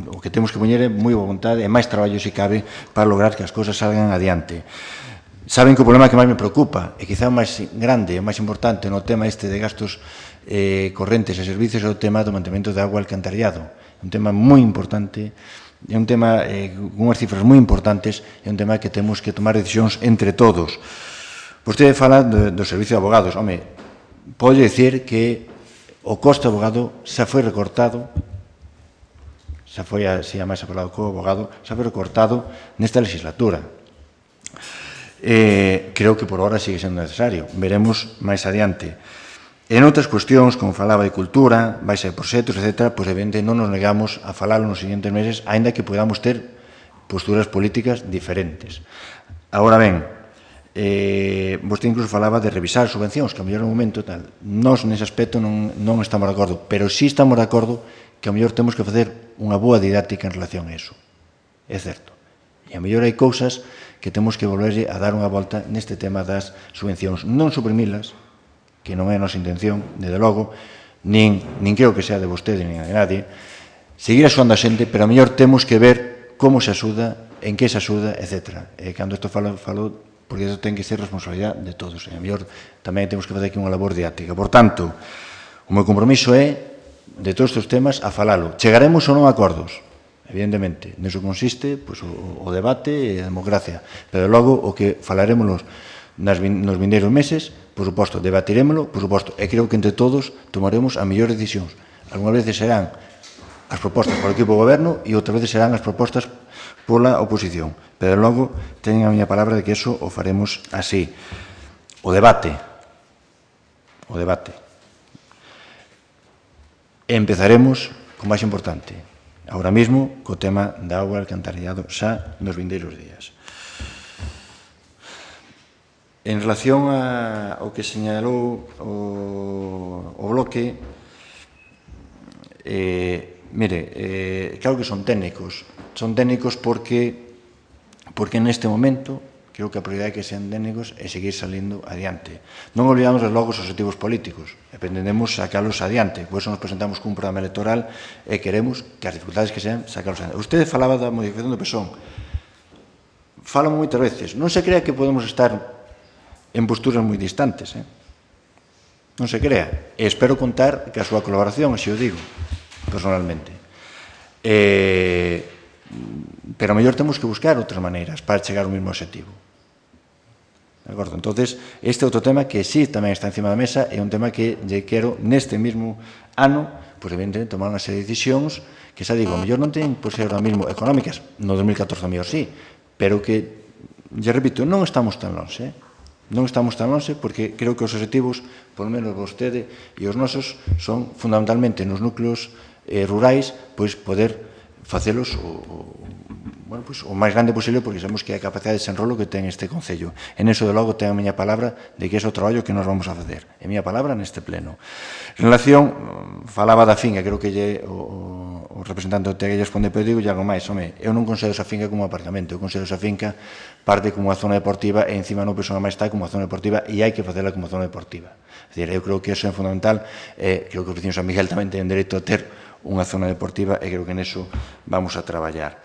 o que temos que poñer é moi boa vontade e máis traballo se cabe para lograr que as cousas salgan adiante. Saben que o problema que máis me preocupa e quizá o máis grande, o máis importante no tema este de gastos correntes e servicios é o tema do mantemento de agua alcantarillado. É un tema moi importante, é un tema con unhas cifras moi importantes, é un tema que temos que tomar decisións entre todos. Vostede fala do servicio de abogados. Home, pode dicir que o coste do abogado xa foi recortado, xa foi así a máis falado co abogado, xa foi recortado nesta legislatura. Creo que por ahora sigue sendo necesario. Veremos máis adiante. En outras cuestións, como falaba de cultura, baixa de proxectos, etc., pois, evidente, non nos negamos a falalo nos seguintes meses, aínda que podamos ter posturas políticas diferentes. Agora ben, vostede incluso falaba de revisar subvencións, que a mellor no momento tal. Nós, nese aspecto, non estamos de acordo, pero sí estamos de acordo que a mellor temos que facer unha boa didáctica en relación a iso. É certo. E a mellor hai cousas que temos que volverlle a dar unha volta neste tema das subvencións. Non suprimilas, que non é a nosa intención, desde logo, nin creo que sea de vostede, nin de nadie, seguir axudando a xente, pero a mellor temos que ver como se axuda, en que se axuda, etc. E cando isto falo porque isto ten que ser responsabilidade de todos. E a mellor tamén temos que fazer aquí unha labor didáctica. Por tanto, o meu compromiso é, de todos estes temas, a falalo. Chegaremos ou non a acordos, evidentemente. Neso consiste o debate e a democracia. Pero logo, o que falaremos nos vindeiros meses, por suposto, debatirémoslo, por suposto, e creo que entre todos tomaremos as mellores decisións. Algúnas veces serán as propostas polo equipo do goberno e outras veces serán as propostas pola oposición. Pero logo, teñen a miña palabra de que eso o faremos así. O debate. E empezaremos co máis importante. Ahora mesmo, co tema da auga alcantarillado xa nos vindeiros días. En relación ao que señalou o bloque, claro que son técnicos. Son técnicos porque neste momento, creo que a prioridade que sean técnicos é seguir salindo adiante. Non olvidamos logo os objetivos políticos, e pretendemos sacalos adiante. Por iso nos presentamos cun programa electoral e queremos que as dificultades que sean sacalos adiante. Usted falaba da modificación do PSOE. Falo moitas veces. Non se crea que podemos estar en posturas moi distantes. Non se crea. E espero contar que a súa colaboración, así o digo, personalmente. Pero a mellor temos que buscar outras maneiras para chegar ao mesmo objetivo. De acordo? Entón, este é outro tema que sí tamén está encima da mesa, é un tema que lle quero neste mesmo ano, pois evidentemente tomar unha serie de decisións que xa digo, a mellor non ten por ser ahora mesmo económicas, no 2014 a mellor sí, pero que, lle repito, non estamos tan longe, Non estamos tan longe porque creo que os objetivos, polo menos vostede e os nosos, son fundamentalmente nos núcleos rurais, pois poder facelos o máis grande posible porque sabemos que a capacidade de desenrolo que ten este Concello. En eso, de logo, ten a miña palabra de que é o traballo que nos vamos a facer. É a miña palabra neste pleno. En relación, falaba da finca, creo que o representante do TEG lle responde, pero digo algo máis. Home, eu non considero esa finca como un apartamento, eu considero esa finca parte como unha zona deportiva e encima non penso máis está como unha zona deportiva e hai que facela como zona deportiva. É dicir, eu creo que eso é fundamental e creo que os vecinos de San Miguel tamén ten dereito a ter unha zona deportiva e creo que neso vamos a traballar.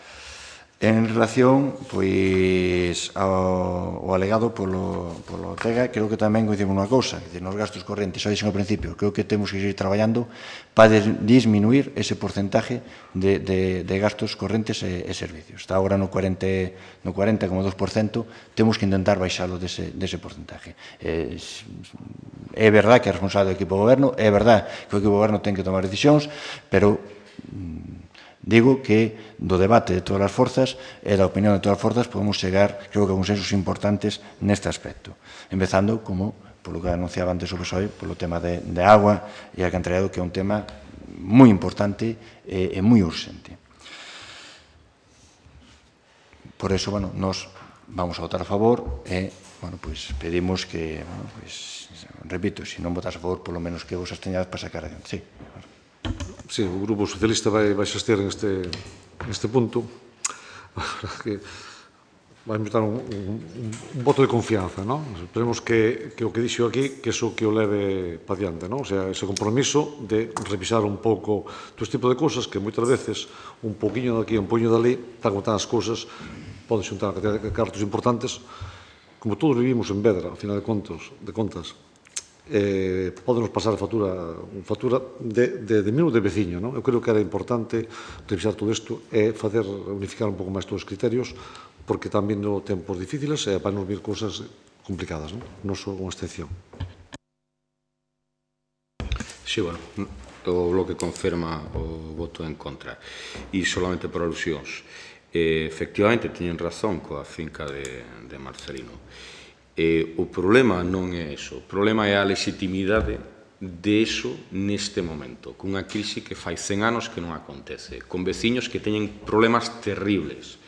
En relación, pois, ao alegado polo TEGA, creo que tamén coincidimos nunha cousa, que nos gastos correntes, xa dixen ao principio, creo que temos que seguir traballando para disminuir ese porcentaje de gastos correntes e servicios. Está agora no 40,2%, temos que intentar baixalo dese porcentaje. É verdad que é responsable do equipo de goberno, é verdad que o equipo de goberno ten que tomar decisións, pero digo que do debate de todas as forzas e da opinión de todas as forzas podemos chegar, creo que a consensos importantes neste aspecto. Empezando, como polo que anunciaba antes o PSOE, polo tema de agua e alcantarillado, que é un tema moi importante e moi urxente. Por eso, bueno, nos vamos a votar a favor e, bueno, pues pedimos que, bueno, pues, repito, se non votas a favor, polo menos que vos absteñades para sacar adiante. Sí. Sí, o Grupo Socialista vai xastir neste punto. A verdad que vai dar un voto de confianza, non? Esperemos que o que dixo aquí, que eso que o leve para diante, non? O sea, ese compromiso de revisar un pouco todo este tipo de cousas que moitas veces un poquinho daqui, un poquinho dali, tan como tan as cousas, poden xuntar a cantidad de cartos importantes. Como todos vivimos en Vedra, ao final de contas, podenos pasar factura de mil de veciño, non? Eu creo que era importante revisar todo isto e facer unificar un pouco máis todos os criterios, porque están vindo tempos difíciles e van nos vir cousas complicadas, non? Non só unha excepción. Sí, bueno, o bloque confirma o voto en contra. E solamente por alusións. Efectivamente, teñen razón coa finca de Marcelino. O problema non é eso. O problema é a legitimidade de eso neste momento, cunha crise que fai 100 anos que non acontece, con veciños que teñen problemas terribles,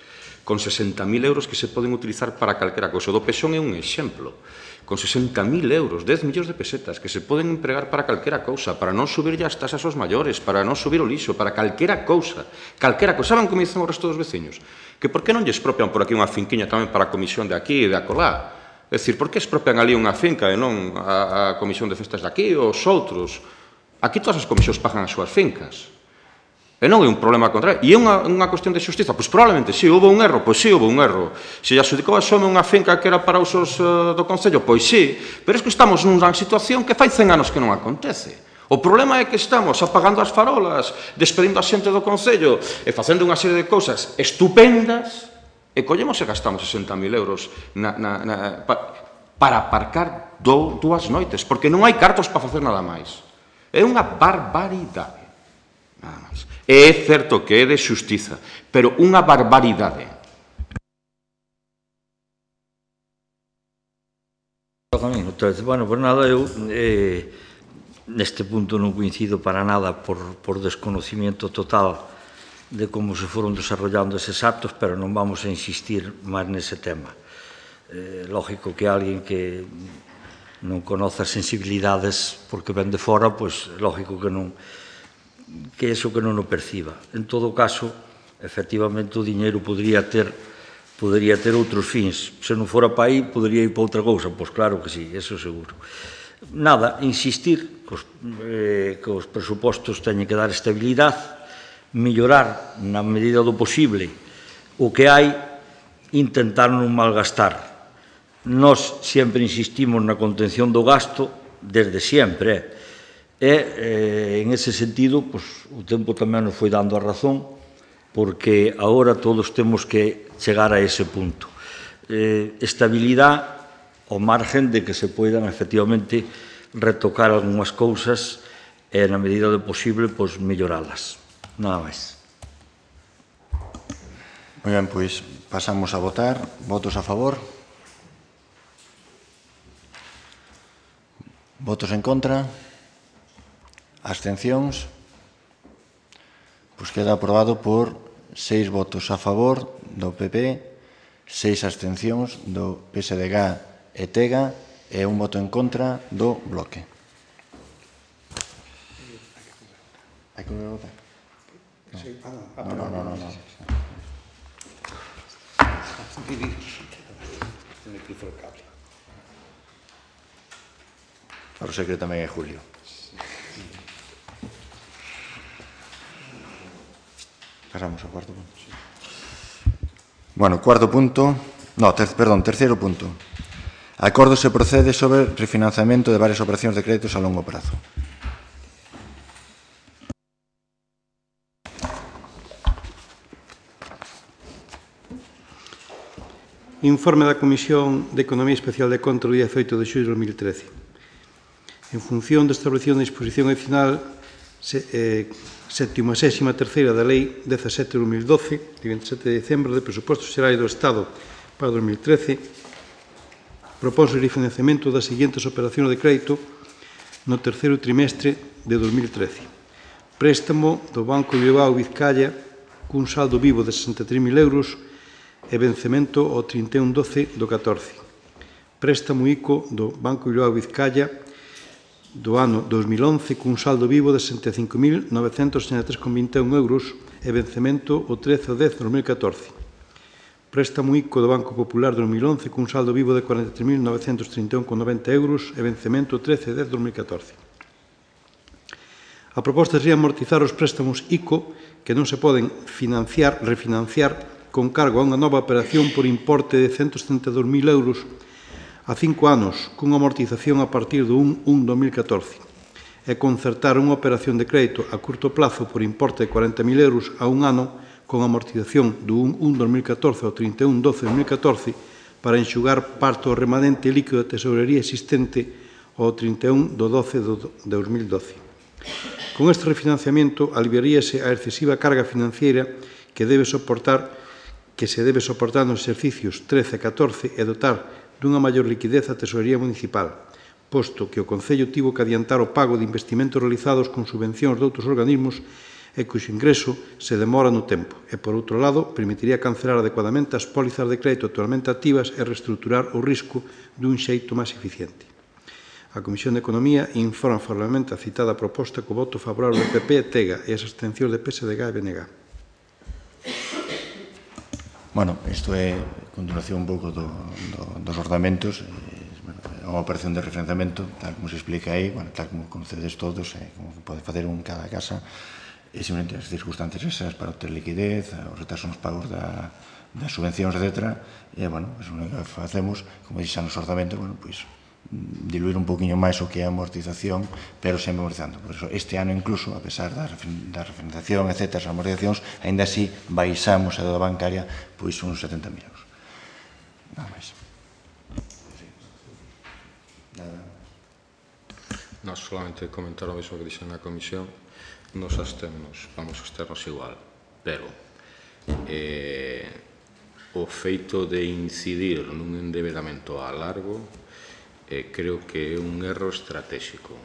con 60.000 euros que se poden utilizar para calquera cousa. O do Pexón é un exemplo. Con 60.000 euros, 10 millóns de pesetas, que se poden empregar para calquera cousa, para non subir as tasas aos maiores, para non subir o lixo, para calquera cousa. Calquera cousa. Saben como dicen o resto dos veciños? Que por que non lle expropian por aquí unha finquiña tamén para a comisión de aquí e de acolá? É dicir, por que expropian ali unha finca e non a comisión de festas de aquí ou os outros? Aquí todas as comisións pagan as súas fincas. E non é un problema contrario. E é unha cuestión de xustiza? Pois probablemente sí, houve un erro. Pois sí, houve un erro. Se lle adxudicou a Xome unha finca que era para usos do Concello, pois sí. Pero é que estamos nunha situación que fai 100 anos que non acontece. O problema é que estamos apagando as farolas, despedindo a xente do Concello e facendo unha serie de cousas estupendas e collemos e gastamos 60.000 euros para aparcar dúas noites, porque non hai cartos para facer nada máis. É unha barbaridade. Nada máis. É certo que é de xustiza, pero unha barbaridade. Bueno, pues nada, eu neste punto non coincido para nada por desconocimiento total de como se foron desarrollando eses actos, pero non vamos a insistir máis nese tema. Lógico que alguén que non conoce as sensibilidades porque ven de fora, pois lógico que non que eso que non o perciba. En todo caso, efectivamente, o diñeiro podría ter outros fins. Se non fora para aí, podría ir para outra cousa. Pois claro que sí, eso seguro. Nada, insistir que os presupostos teñen que dar estabilidade, mellorar na medida do posible o que hai, intentar non malgastar. Nós sempre insistimos na contención do gasto desde sempre, e en ese sentido o tempo tamén nos foi dando a razón, porque agora todos temos que chegar a ese punto. Estabilidade ao margen de que se poidan efectivamente retocar algunhas cousas e na medida do posible melloralas. Nada máis. Moi ben, pois pasamos a votar. Votos a favor? Votos en contra? Abstencións? Pois queda aprobado por 6 votos a favor do PP, 6 abstencións do PSDG e TEGA e un voto en contra do Bloque. Hai que volver a votar? No. Claro, sei que tamén é Julio. Pasamos ao cuarto punto. Bueno, cuarto punto... No, terceiro punto. Acordo se procede sobre refinanciamento de varias operacións de créditos a longo prazo. Informe da Comisión de Economía Especial de Contra o día 18 de xullo de 2013. En función da establección da disposición adicional 73ª da Lei 17 de 2012, de 27 de dezembro, de Presupostos Xerais do Estado para 2013, Propónse o refinanciamento das seguintes operacións de crédito no terceiro trimestre de 2013. Préstamo do Banco Bilbao Vizcaya cun saldo vivo de 63.000 euros e vencemento ao 31/12 do 14. Préstamo ICO do Banco Bilbao Vizcaya do ano 2011 cun saldo vivo de 65.963,21 euros e vencemento o 13/10/2014. Préstamo ICO do Banco Popular 2011 cun saldo vivo de 43.931,90 euros e vencemento 13/10/2014. A proposta sería amortizar os préstamos ICO que non se poden refinanciar con cargo a unha nova operación por importe de 172.000 euros a 5 anos cunha amortización a partir do 1/1/2014 e concertar unha operación de crédito a curto plazo por importe de 40.000 euros a un ano con amortización do 1/1/2014 ao 31/12/2014 para enxugar parte do remanente líquido de tesourería existente ao 31/12/2012. Con este refinanciamento aliviaríase a excesiva carga financiera que se debe soportar nos exercicios 13 e 14 e dotar dunha maior liquidez a tesorería municipal, posto que o Concello tivo que adiantar o pago de investimentos realizados con subvencións de outros organismos e cuxo ingreso se demora no tempo, e, por outro lado, permitiría cancelar adecuadamente as pólizas de crédito actualmente activas e reestruturar o risco dun xeito máis eficiente. A Comisión de Economía informa favorablemente a citada proposta co voto favorable do PP e TEGA e as abstencións de PSDG e BNG. Bueno, isto é continuación un pouco dos orzamentos. É unha operación de refinanciamento, tal como se explica aí, tal como conocedes todos, como pode facer un cada casa, e simplemente as circunstancias esas para obter liquidez, os retrasos nos pagos das subvencións, etc. E, bueno, o que facemos, como dixan nos orzamentos, pois, diluir un poquinho máis o que é a amortización, pero sempre amortizando. Por iso, este ano incluso, a pesar da refinanciación, etc., as amortizacións, ainda así baixamos a deuda bancaria pois uns 70.000 euros. Nada máis. Nós solamente comentar o mesmo que dixen na comisión, nos abstemnos, vamos a absternos igual, pero o feito de incidir nun endebedamento a largo creo que é un erro estratégico.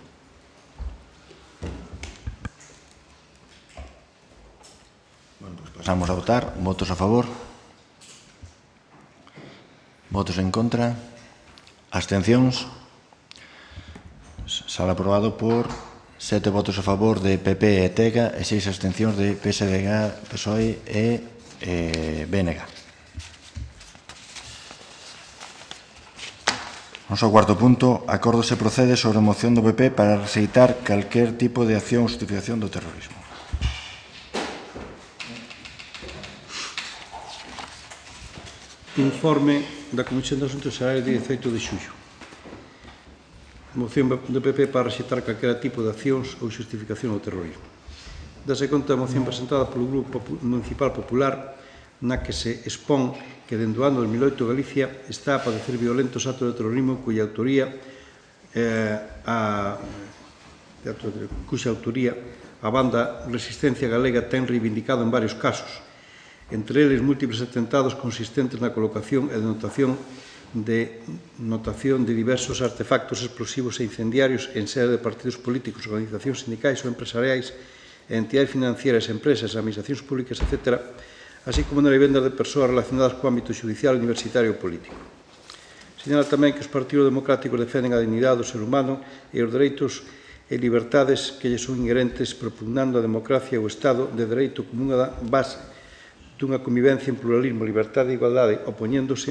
Bueno, pues pasamos a votar. Votos a favor. Votos en contra. Abstencións. Sale aprobado por 7 votos a favor de PP e TEGA e 6 abstencións de PSDG, PSOE e BNG. Vamos ao cuarto punto. Acordo se procede sobre a moción do PP para rexeitar calquer tipo de acción ou justificación do terrorismo. Informe da Comisión de Asuntos Xerais de 18 de xullo. Moción do PP para rexeitar calquera tipo de accións ou justificación ao terrorismo. Dase conta da moción presentada polo Grupo Municipal Popular na que se expón que dende o ano 2008 Galicia está a padecer violentos actos de terrorismo cuxa autoría a banda Resistencia Galega ten reivindicado en varios casos, entre eles múltiples atentados consistentes na colocación e denotación de diversos artefactos explosivos e incendiarios en sede de partidos políticos, organizacións sindicais ou empresariais, entidades financieras, empresas, administracións públicas, etc., así como na vivenda de persoas relacionadas co ámbito judicial, universitario ou político. Señala tamén que os partidos democráticos defenden a dignidade do ser humano e os dereitos e libertades que lle son inherentes, propugnando a democracia e o Estado de Dereito como unha base dunha convivencia en pluralismo, liberdade e igualdade, opoñéndose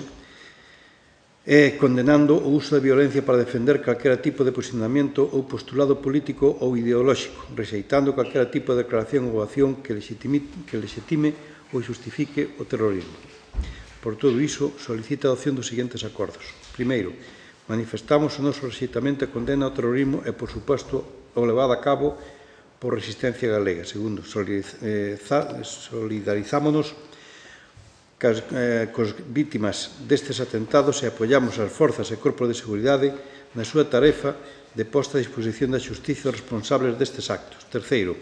e condenando o uso da violencia para defender calquera tipo de posicionamento ou postulado político ou ideolóxico, rexeitando calquera tipo de declaración ou acción que lexitime ou justifique o terrorismo. Por todo iso, solicita a adopción dos seguintes acordos. Primeiro, manifestamos o noso rexeitamento e condena ao terrorismo e, por suposto, o levado a cabo por Resistencia Galega. Segundo, solidarizámonos cos vítimas destes atentados e apoiamos as forzas e corpos de seguridade na súa tarefa de posta a disposición da xustiza dos responsables destes actos. Terceiro,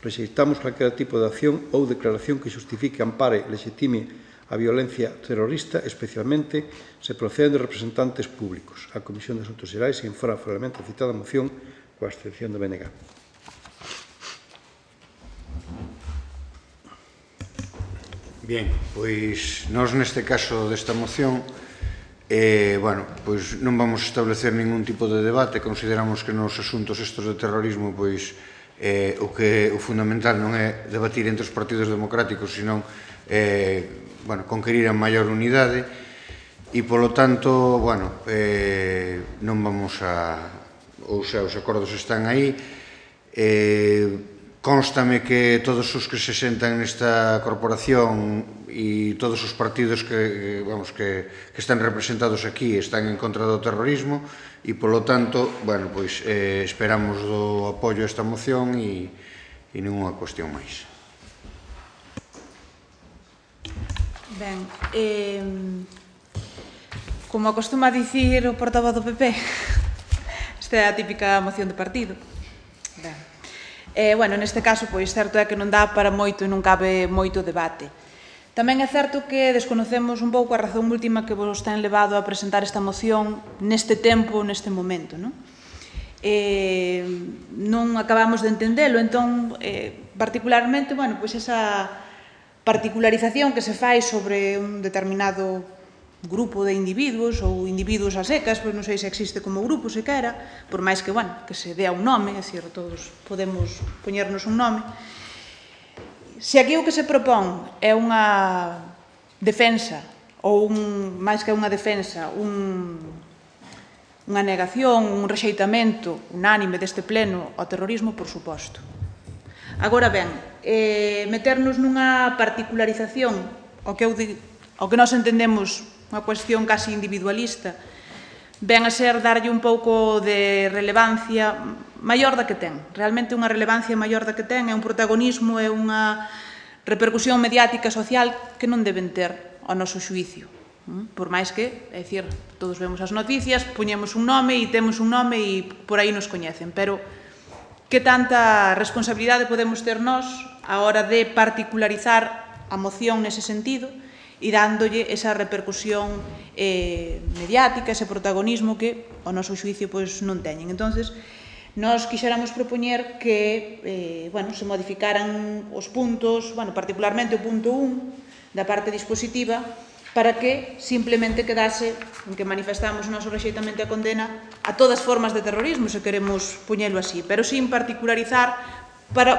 rexeitamos calquera tipo de acción ou declaración que xustifique, ampare, lexitime a violencia terrorista, especialmente se proceden de representantes públicos. A Comisión de Asuntos Xerais informa favorablemente a citada moción coa abstención do BNG. Bien, pois nós neste caso desta moción pois non vamos a establecer ningún tipo de debate. Consideramos que nos asuntos estos de terrorismo pois o fundamental non é debatir entre os partidos democráticos, senón conquerir a maior unidade e, polo tanto, non vamos a... Ou sea, os acordos están aí. Constame que todos os que se sentan nesta corporación e todos os partidos que están representados aquí están en contra do terrorismo e, polo tanto, esperamos do apoio a esta moción e ninguna cuestión máis. Ben, como acostuma dicir o portavoz do PP, esta é a típica moción de partido. Ben. Neste caso, pois, certo é que non dá para moito e non cabe moito debate. Tamén é certo que desconocemos un pouco a razón última que vos ten levado a presentar esta moción neste tempo, neste momento, non? Non acabamos de entendelo, entón, particularmente, esa particularización que se fai sobre un determinado grupo de individuos ou individuos a secas, pois non sei se existe como grupo sequera, por máis que, que se dea un nome, é dicir, todos podemos poñernos un nome. Se aquí o que se propón é unha defensa, ou máis que unha defensa, unha negación, un rexeitamento unánime deste pleno ao terrorismo, por suposto. Agora ben, meternos nunha particularización, o que nós entendemos unha cuestión casi individualista, ven a ser darlle un pouco de relevancia maior da que ten. Realmente unha relevancia maior da que ten, é un protagonismo, é unha repercusión mediática social que non deben ter ao noso xuicio. Por máis que, é dicir, todos vemos as noticias, poñemos un nome e temos un nome e por aí nos coñecen, pero que tanta responsabilidade podemos ter nós a hora de particularizar a moción nese sentido e dándolle esa repercusión mediática, ese protagonismo que ao noso xuicio non teñen. Entonces, nós quixéramos propoñer que se modificaran os puntos, particularmente o punto 1 da parte dispositiva, para que simplemente quedase en que manifestamos o noso rexeitamento e a condena a todas formas de terrorismo, se queremos poñelo así, pero sin particularizar,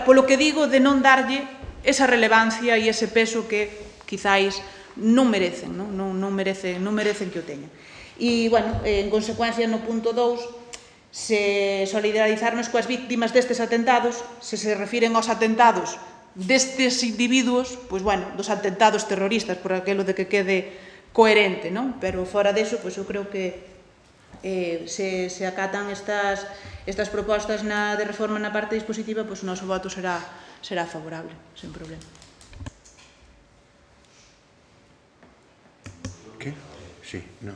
polo que digo, de non darlle esa relevancia e ese peso que quizáis non merecen, non merecen que o teñan. E, en consecuencia, no punto 2, se solidarizarnos coas víctimas destes atentados, se refiren aos atentados destes individuos, dos atentados terroristas, por aquilo de que quede coherente, non? Pero fora deso, eu creo que se acatan estas propostas de reforma na parte dispositiva, o noso voto será favorable, sen problema. Sí, no.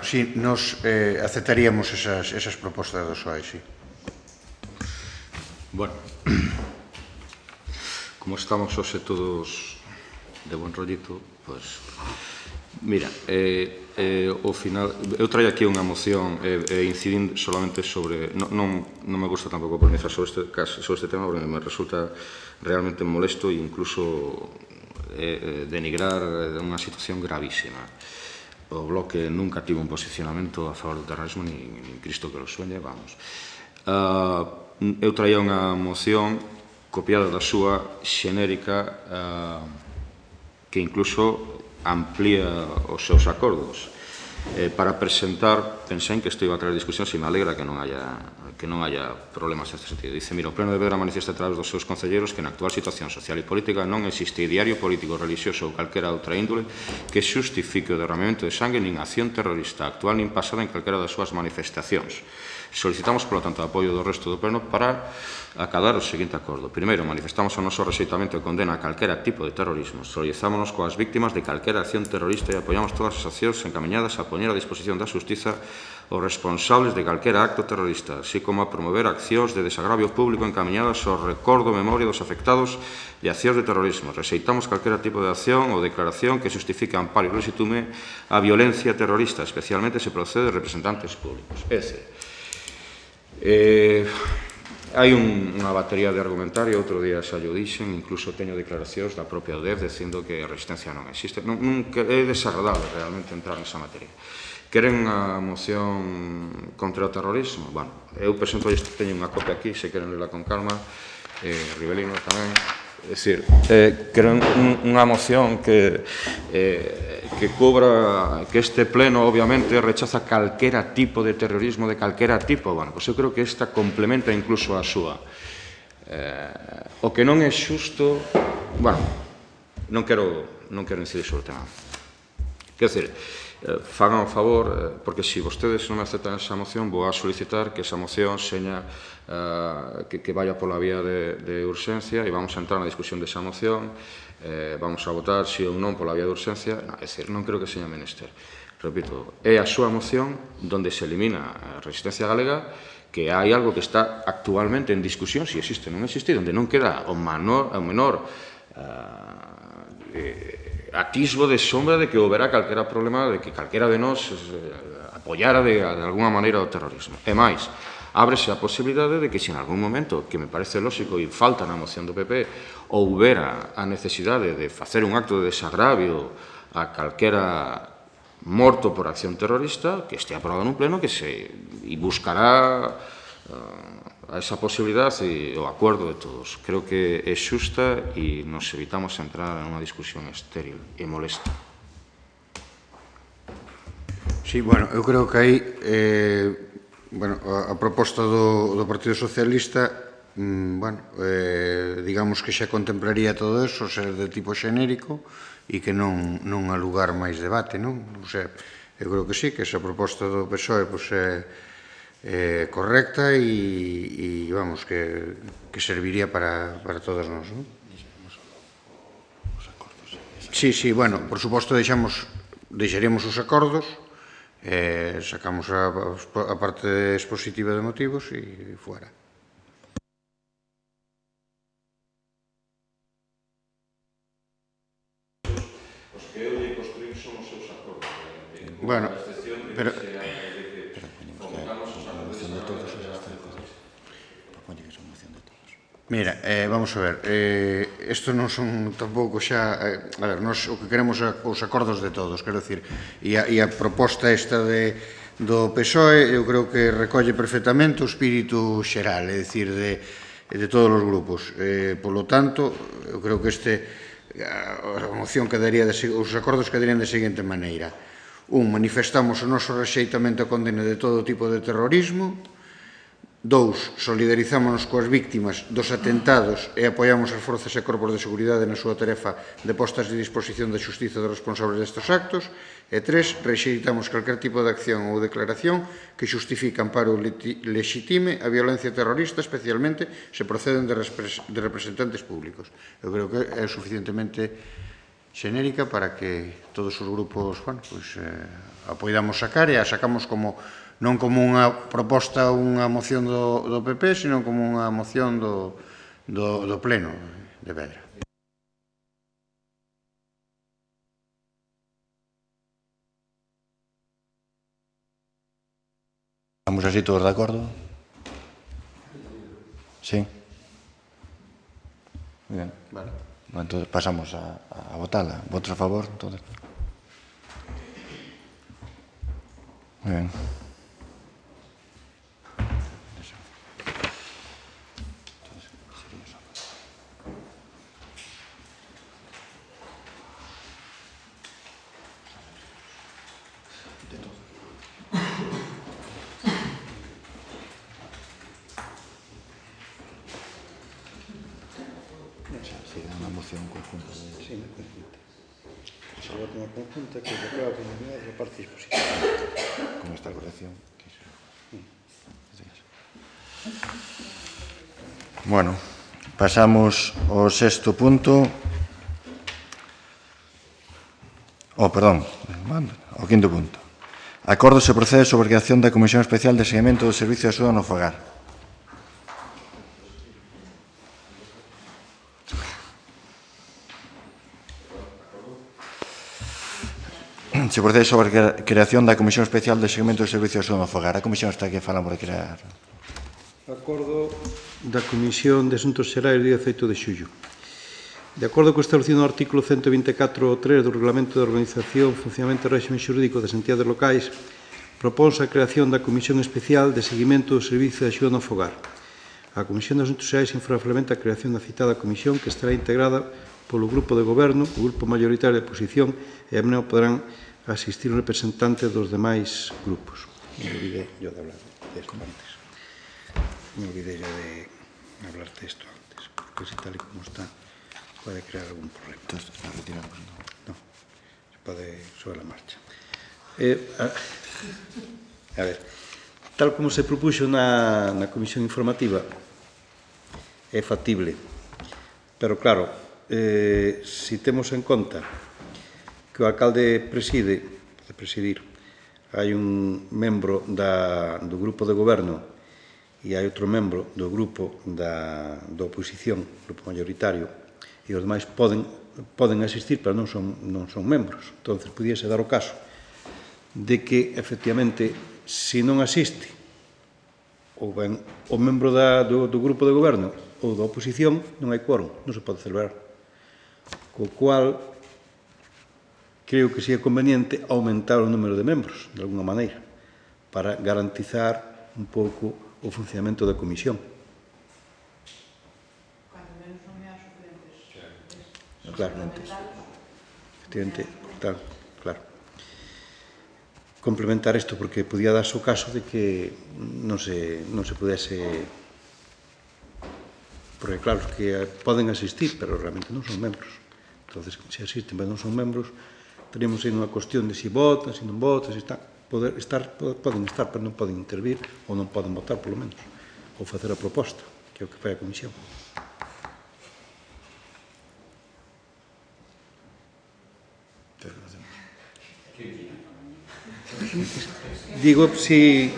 Sí, nos aceptaríamos esas propostas do SOAE, sí. Como estamos hoxe todos de buen rollito, pois... Mira, ao final, eu traio aquí unha moción incidindo solamente sobre... Non me gusta tampouco polemizar sobre este tema, porque me resulta realmente molesto e incluso denigrar unha situación gravísima. O Bloque nunca tivo un posicionamento a favor do terrorismo, ni Cristo que lo sueñe, vamos. Eu traía unha moción copiada da súa xenérica que incluso amplía os seus acordos. Para presentar, pensei que isto iba a traer discusión, e me alegra que non haya problemas neste sentido. Dice, mira, o Pleno deberá manifestar a través dos seus concelleiros que na actual situación social e política non existe ideario político, religioso ou calquera outra índole que xustifique o derramamento de sangue nin acción terrorista actual nin pasada en calquera das súas manifestacións. Solicitamos, polo tanto, o apoio do resto do Pleno para acadar o seguinte acordo. Primeiro, manifestamos o noso rexeitamento e condena a calquera tipo de terrorismo. Solidarizámonos coas víctimas de calquera acción terrorista e apoiamos todas as accións encaminhadas a poñer a disposición da Xustiza os responsables de calquera acto terrorista, así como a promover accións de desagravio público encaminhadas ao recordo e memoria dos afectados de accións de terrorismo. Rexeitamos calquera tipo de acción ou declaración que justifique, amparo e legitime a violencia terrorista, especialmente se procede de representantes públicos. Hai unha batería de argumentario, outro día xa lle dixen, incluso teño declaracións da propia UDEF dicindo que a resistencia non existe. É desagradable realmente entrar nesa materia. Queren a moción contra o terrorismo? Bueno, eu presento, teño unha copia aquí, se queren lela con calma, Ribelino tamén. É dicir, queren unha moción que cobra, que este pleno obviamente rechaza calquera tipo de terrorismo, de calquera tipo. Bueno, pois eu creo que esta complementa incluso a súa. O que non é xusto, bueno, non quero incidir sobre o tema. Quero dicir, fagan o favor, porque se vostedes non me aceptan esa moción, vou a solicitar que esa moción seña que vaya pola vía de urxencia e vamos a entrar na discusión desa moción, vamos a votar si ou non pola vía de urxencia. É dicir, non creo que seña menester. Repito, é a súa moción donde se elimina a resistencia galega, que hai algo que está actualmente en discusión, si existe ou non existe, donde non queda o menor atisbo de sombra de que houbera calquera problema, de que calquera de nós apoiara de alguna maneira o terrorismo. E máis, ábrese a posibilidade de que se en algún momento, que me parece lógico e falta na moción do PP, houbera a necesidade de facer un acto de desagravio a calquera morto por acción terrorista, que este aprobado nun pleno, e buscará a esa posibilidade e o acordo de todos. Creo que é xusta e nos evitamos entrar en unha discusión estéril e molesta. Sí, bueno, eu creo que aí a proposta do Partido Socialista digamos que xa contemplaría todo eso, ser de tipo xenérico e que non há lugar máis debate, non? O sea, eu creo que sí, que esa proposta do PSOE é correcta e vamos, que serviría para todos nós, non? Sí, bueno, por suposto deixaríamos os acordos, sacamos a parte expositiva de motivos e fuera. Os que eu lle construín son os seus acordos. Bueno, pero... Mira, vamos a ver, isto non son tampouco xa, a ver, nós o que queremos é os acordos de todos, quero dicir, e a proposta esta do PSOE, eu creo que recolle perfectamente o espírito xeral, é dicir, de todos os grupos. Polo tanto, eu creo que a moción quedaría, os acordos quedarían de seguinte maneira. Manifestamos o noso rexeitamento e condena de todo tipo de terrorismo. 2, solidarizámonos coas víctimas dos atentados e apoiamos as forzas e corpos de seguridade na súa tarefa de postas de disposición da xustiza dos responsables destes actos. E 3, rexeitamos calquer tipo de acción ou declaración que justifique, amparo ou legitime a violencia terrorista, especialmente se proceden de representantes públicos. Eu creo que é suficientemente xenérica para que todos os grupos apoidamos sacar e a sacamos non como unha proposta, unha moción do PP, sino como unha moción do Pleno de Vedra. Estamos así todos de acordo? Sí? Muy bien. Vale. Entonces pasamos a votarla. ¿Votos a favor? Entonces. Muy bien. Una conjunta que se aprueba por unanimidad de la parte dispositiva. Con esta corrección. Bueno, pasamos ao sexto punto. Perdón, ao quinto punto. Acordo se procede sobre a creación da Comisión Especial de Seguimento do Servicio de Axuda no Fogar. Se procede sobre a creación da Comisión Especial de Seguimento do Servicio de Axuda no Fogar. A Comisión está aquí falando por crear. Acordo da Comisión de Asuntos Xerais do 18 de xullo. De acordo co establecido no artículo 124.3 do Reglamento de Organización, Funcionamento e Réxime Xurídico das Entidades Locais, propónse a creación da Comisión Especial de Seguimento do Servicio de Axuda no Fogar. A Comisión de Asuntos Xerais infraflamenta a creación da citada comisión, que estará integrada polo Grupo de Goberno, o Grupo Mayoritario de Oposición, e a menor poderán asistir os representantes dos demais grupos. Me olvidé yo de hablar de esto antes. Me olvidé ya de hablarte esto antes, porque si tal y como está puede crear algún problema. Entonces, ¿está retirado? No, se puede sobre la marcha. A ver, tal como se propuxo na comisión informativa, é factible, pero claro, si temos en conta que o alcalde pode presidir, hai un membro do grupo de goberno e hai outro membro do grupo da oposición, grupo mayoritario, e os demais poden asistir, pero non son membros. Entón, podíase dar o caso de que, efectivamente, se non asiste ou ben o membro do grupo de goberno ou da oposición, non hai quórum, non se pode celebrar. Co cual, creo que sería conveniente aumentar o número de membros, de alguna maneira, para garantizar un pouco o funcionamento da comisión. Claro, efectivamente, claro. Complementar isto, porque podía darse o caso de que non se pudese... Porque, claro, que poden asistir, pero realmente non son membros. Entón, se asisten, pero non son membros, teríamos aí unha cuestión de si votan, si non votan, si están... Poden estar, pero non poden intervir, ou non poden votar, polo menos, ou facer a proposta, que é o que fai a comisión. Digo, si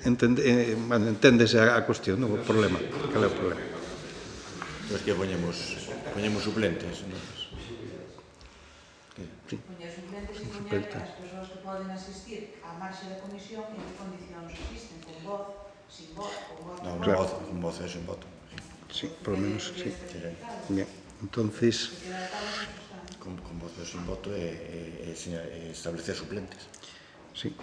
enténdese a cuestión, non o problema. Cal é o problema? Pues que poñemos suplentes, non? Poñer suplentes e poñer as persoas que poden asistir á marxe da comisión e en que condicións asisten, con voz, sin voz, con voto. Non, con voz e sin voto. Sí, por lo menos, sí. Bien, entonces... Con voz e sin voto e establecer suplentes. Sí.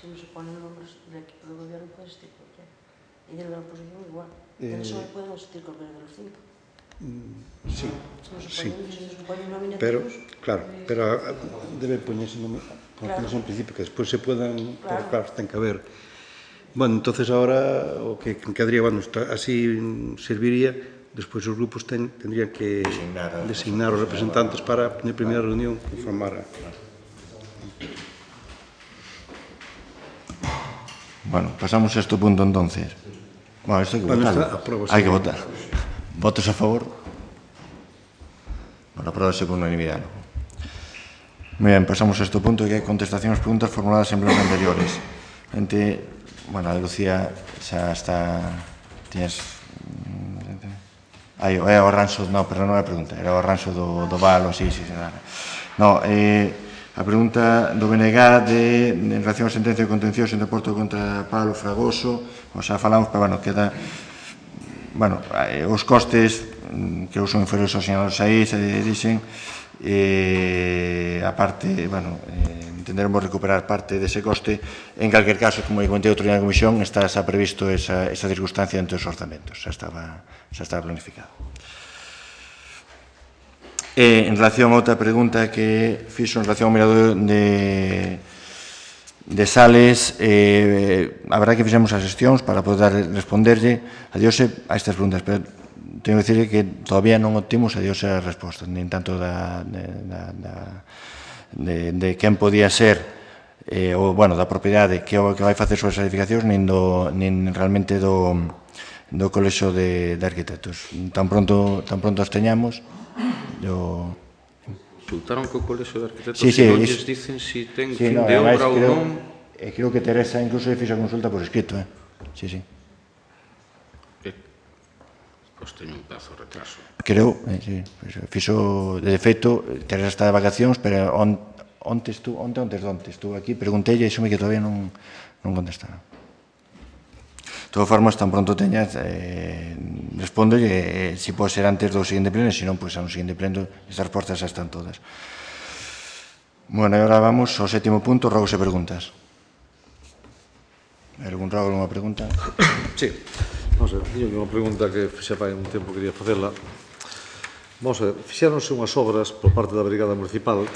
Se non se ponen nombres do equipo de gobierno, pode asistir cualquiera. E de la oposición igual. En só pueden asistir cualquiera de los 5. Sí, sí. Pero, claro, pero debe poñerse en principio que despois se puedan, pero claro, ten que haber. Bueno, entonces ahora o que quedaría, bueno, así serviría, despois os grupos tendrían que designar os representantes para na primeira reunión informar a... Bueno, pasamos a este punto entonces. Bueno, esto hay que votarlo. Hay que votar. ¿Votos a favor? Bueno, apróbase por unanimidade. Muy bien, pasamos a este punto que hai contestacións a preguntas formuladas en bloques anteriores. Bueno, a Lucía xa está... Tienes... É o arranxo... No, pero non é a pregunta. Era o arranxo do valo, así. No, a pregunta do BNG en relación á sentencia de contencioso en deporto contra Pablo Fragoso, o xa falamos, pero bueno, queda... Bueno, os costes que son inferiores aos sinalados aí se dixen a a parte, entenderemos recuperar parte dese coste. En calquer caso, como comentei outro día na comisión, está previsto esa circunstancia dentro dos orzamentos, xa estaba planificado. En relación a outra pregunta que fixo en relación ao mirador de Sales, a verdade que fixemos as xestións para poder responderlle a Diose a estas preguntas, pero tengo que dicirle que todavía non obtimos a Diose as respostas, nin tanto de quen podía ser ou, da propiedade que vai facer sobre as edificacións, nin realmente do Colexio de Arquitectos. Tan pronto as teñamos, Consultaron co Colexio de Arquitectos e non lles dicen se ten fin de obra ou non. Creo que Teresa incluso fixo a consulta por escrito. Sí. Pois teño un pedazo de retraso. Creo, fixo, de feito, Teresa está de vacacións, pero onte estuvo aquí, preguntei e xome que todavía non contestaron. De todas formas, tan pronto teñas, respondo se pode ser antes do seguinte pleno, e se non, pois a un seguinte pleno, estas respostas xa están todas. Bueno, e agora vamos ao sétimo punto, rogos e preguntas. Algún rogo, alguna pregunta? Sí. Vamos a ver, unha pregunta que xa fai un tempo quería facela. Vamos a ver, fixéronse unhas obras por parte da Brigada Municipal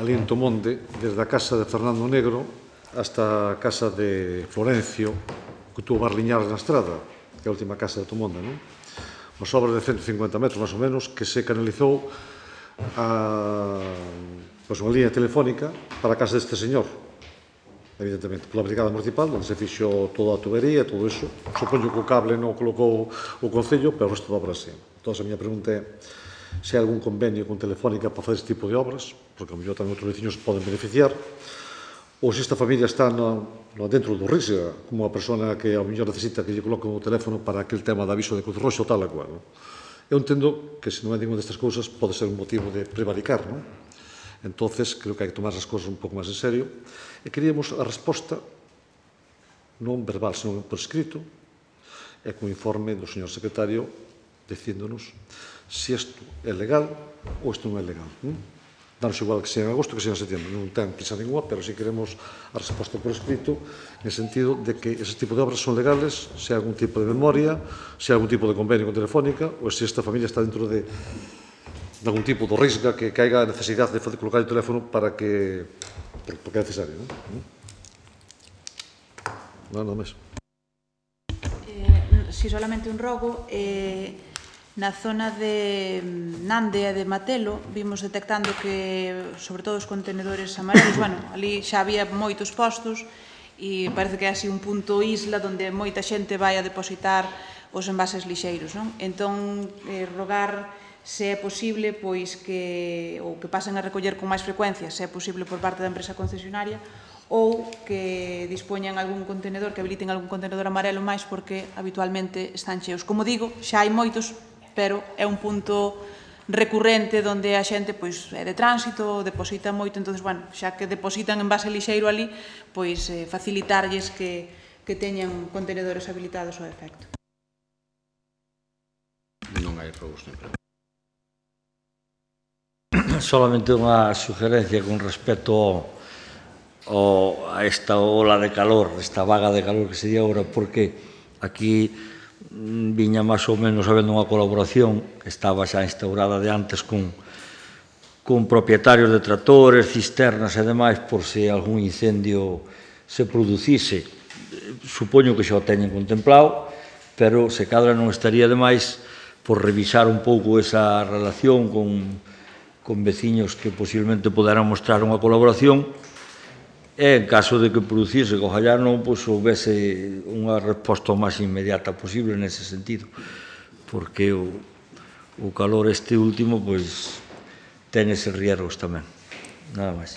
ali en Tomonde, desde a casa de Fernando Negro hasta a casa de Florencio, que tuvo Barliñares na estrada, que é a última casa de Tomonde, non? Unhas obras de 150 metros, máis ou menos, que se canalizou unha línea telefónica para a casa deste señor, evidentemente, pola Brigada Municipal, onde se fixo toda a tubería, todo iso. Supoño que o cable non colocou o Concello, pero o resto de obras, sí. Entón, a miña pregunta é se hai algún convenio con Telefónica para fazer este tipo de obras, porque a mellor tamén outros veciños poden beneficiar, ou se esta familia está dentro do Risga, como a persona que a mellor necesita que lle coloquen o teléfono para aquel tema de aviso de Cruz Roxa ou tal a cual. Eu entendo que se non é ninguna destas cousas pode ser un motivo de prevaricar, non? Entonces, creo que hai que tomar as cousas un pouco máis en serio. E queríamos a resposta, non verbal, senón por escrito, e con informe do señor secretario dicíndonos se isto é legal ou isto non é legal. Danos igual que sea en agosto que sea en setembro, non ten prisa ninguna, pero si queremos a resposta por escrito en sentido de que ese tipo de obras son legales, se hai algún tipo de memoria, se hai algún tipo de convenio con Telefónica, ou se esta familia está dentro de algún tipo de risga que caiga a necesidade de colocar o teléfono para que porque é necesario, non? Nada máis. Si solamente un rogo, na zona de Nande e de Matelo vimos detectando que, sobre todo os contenedores amarelos, ali xa había moitos postos e parece que é así un punto isla onde moita xente vai a depositar os envases lixeiros, non? Entón, rogar se é posible pois que pasen a recoller con máis frecuencia, se é posible por parte da empresa concesionaria, ou que dispoñan algún contenedor, que habiliten algún contenedor amarelo máis, porque habitualmente están cheos. Como digo, xa hai moitos, pero é un punto recurrente onde a xente é de tránsito, deposita moito, entón, xa que depositan envase lixeiro ali, pois facilitarlles que teñan contenedores habilitados ao efecto. Non hai rogos, non. Solamente unha sugerencia con respecto a esta ola de calor, esta vaga de calor que se di agora, porque aquí viña máis ou menos habendo unha colaboración que estaba xa instaurada de antes con propietarios de tractores, cisternas e demais, por se algún incendio se producise. Supoño que xa o teñen contemplado, pero se cadra non estaría demais por revisar un pouco esa relación con veciños que posiblemente poderán mostrar unha colaboración e, en caso de que producise, que ojalá non houvese unha resposta o máis inmediata posible nese sentido, porque o calor este último ten eses riesgos tamén. Nada máis.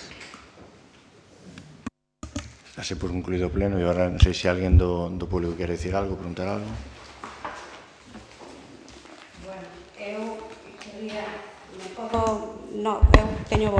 Así por concluído o pleno, e agora non sei se alguén do público quere dicir algo, preguntar algo. Bueno, eu quería... eu teño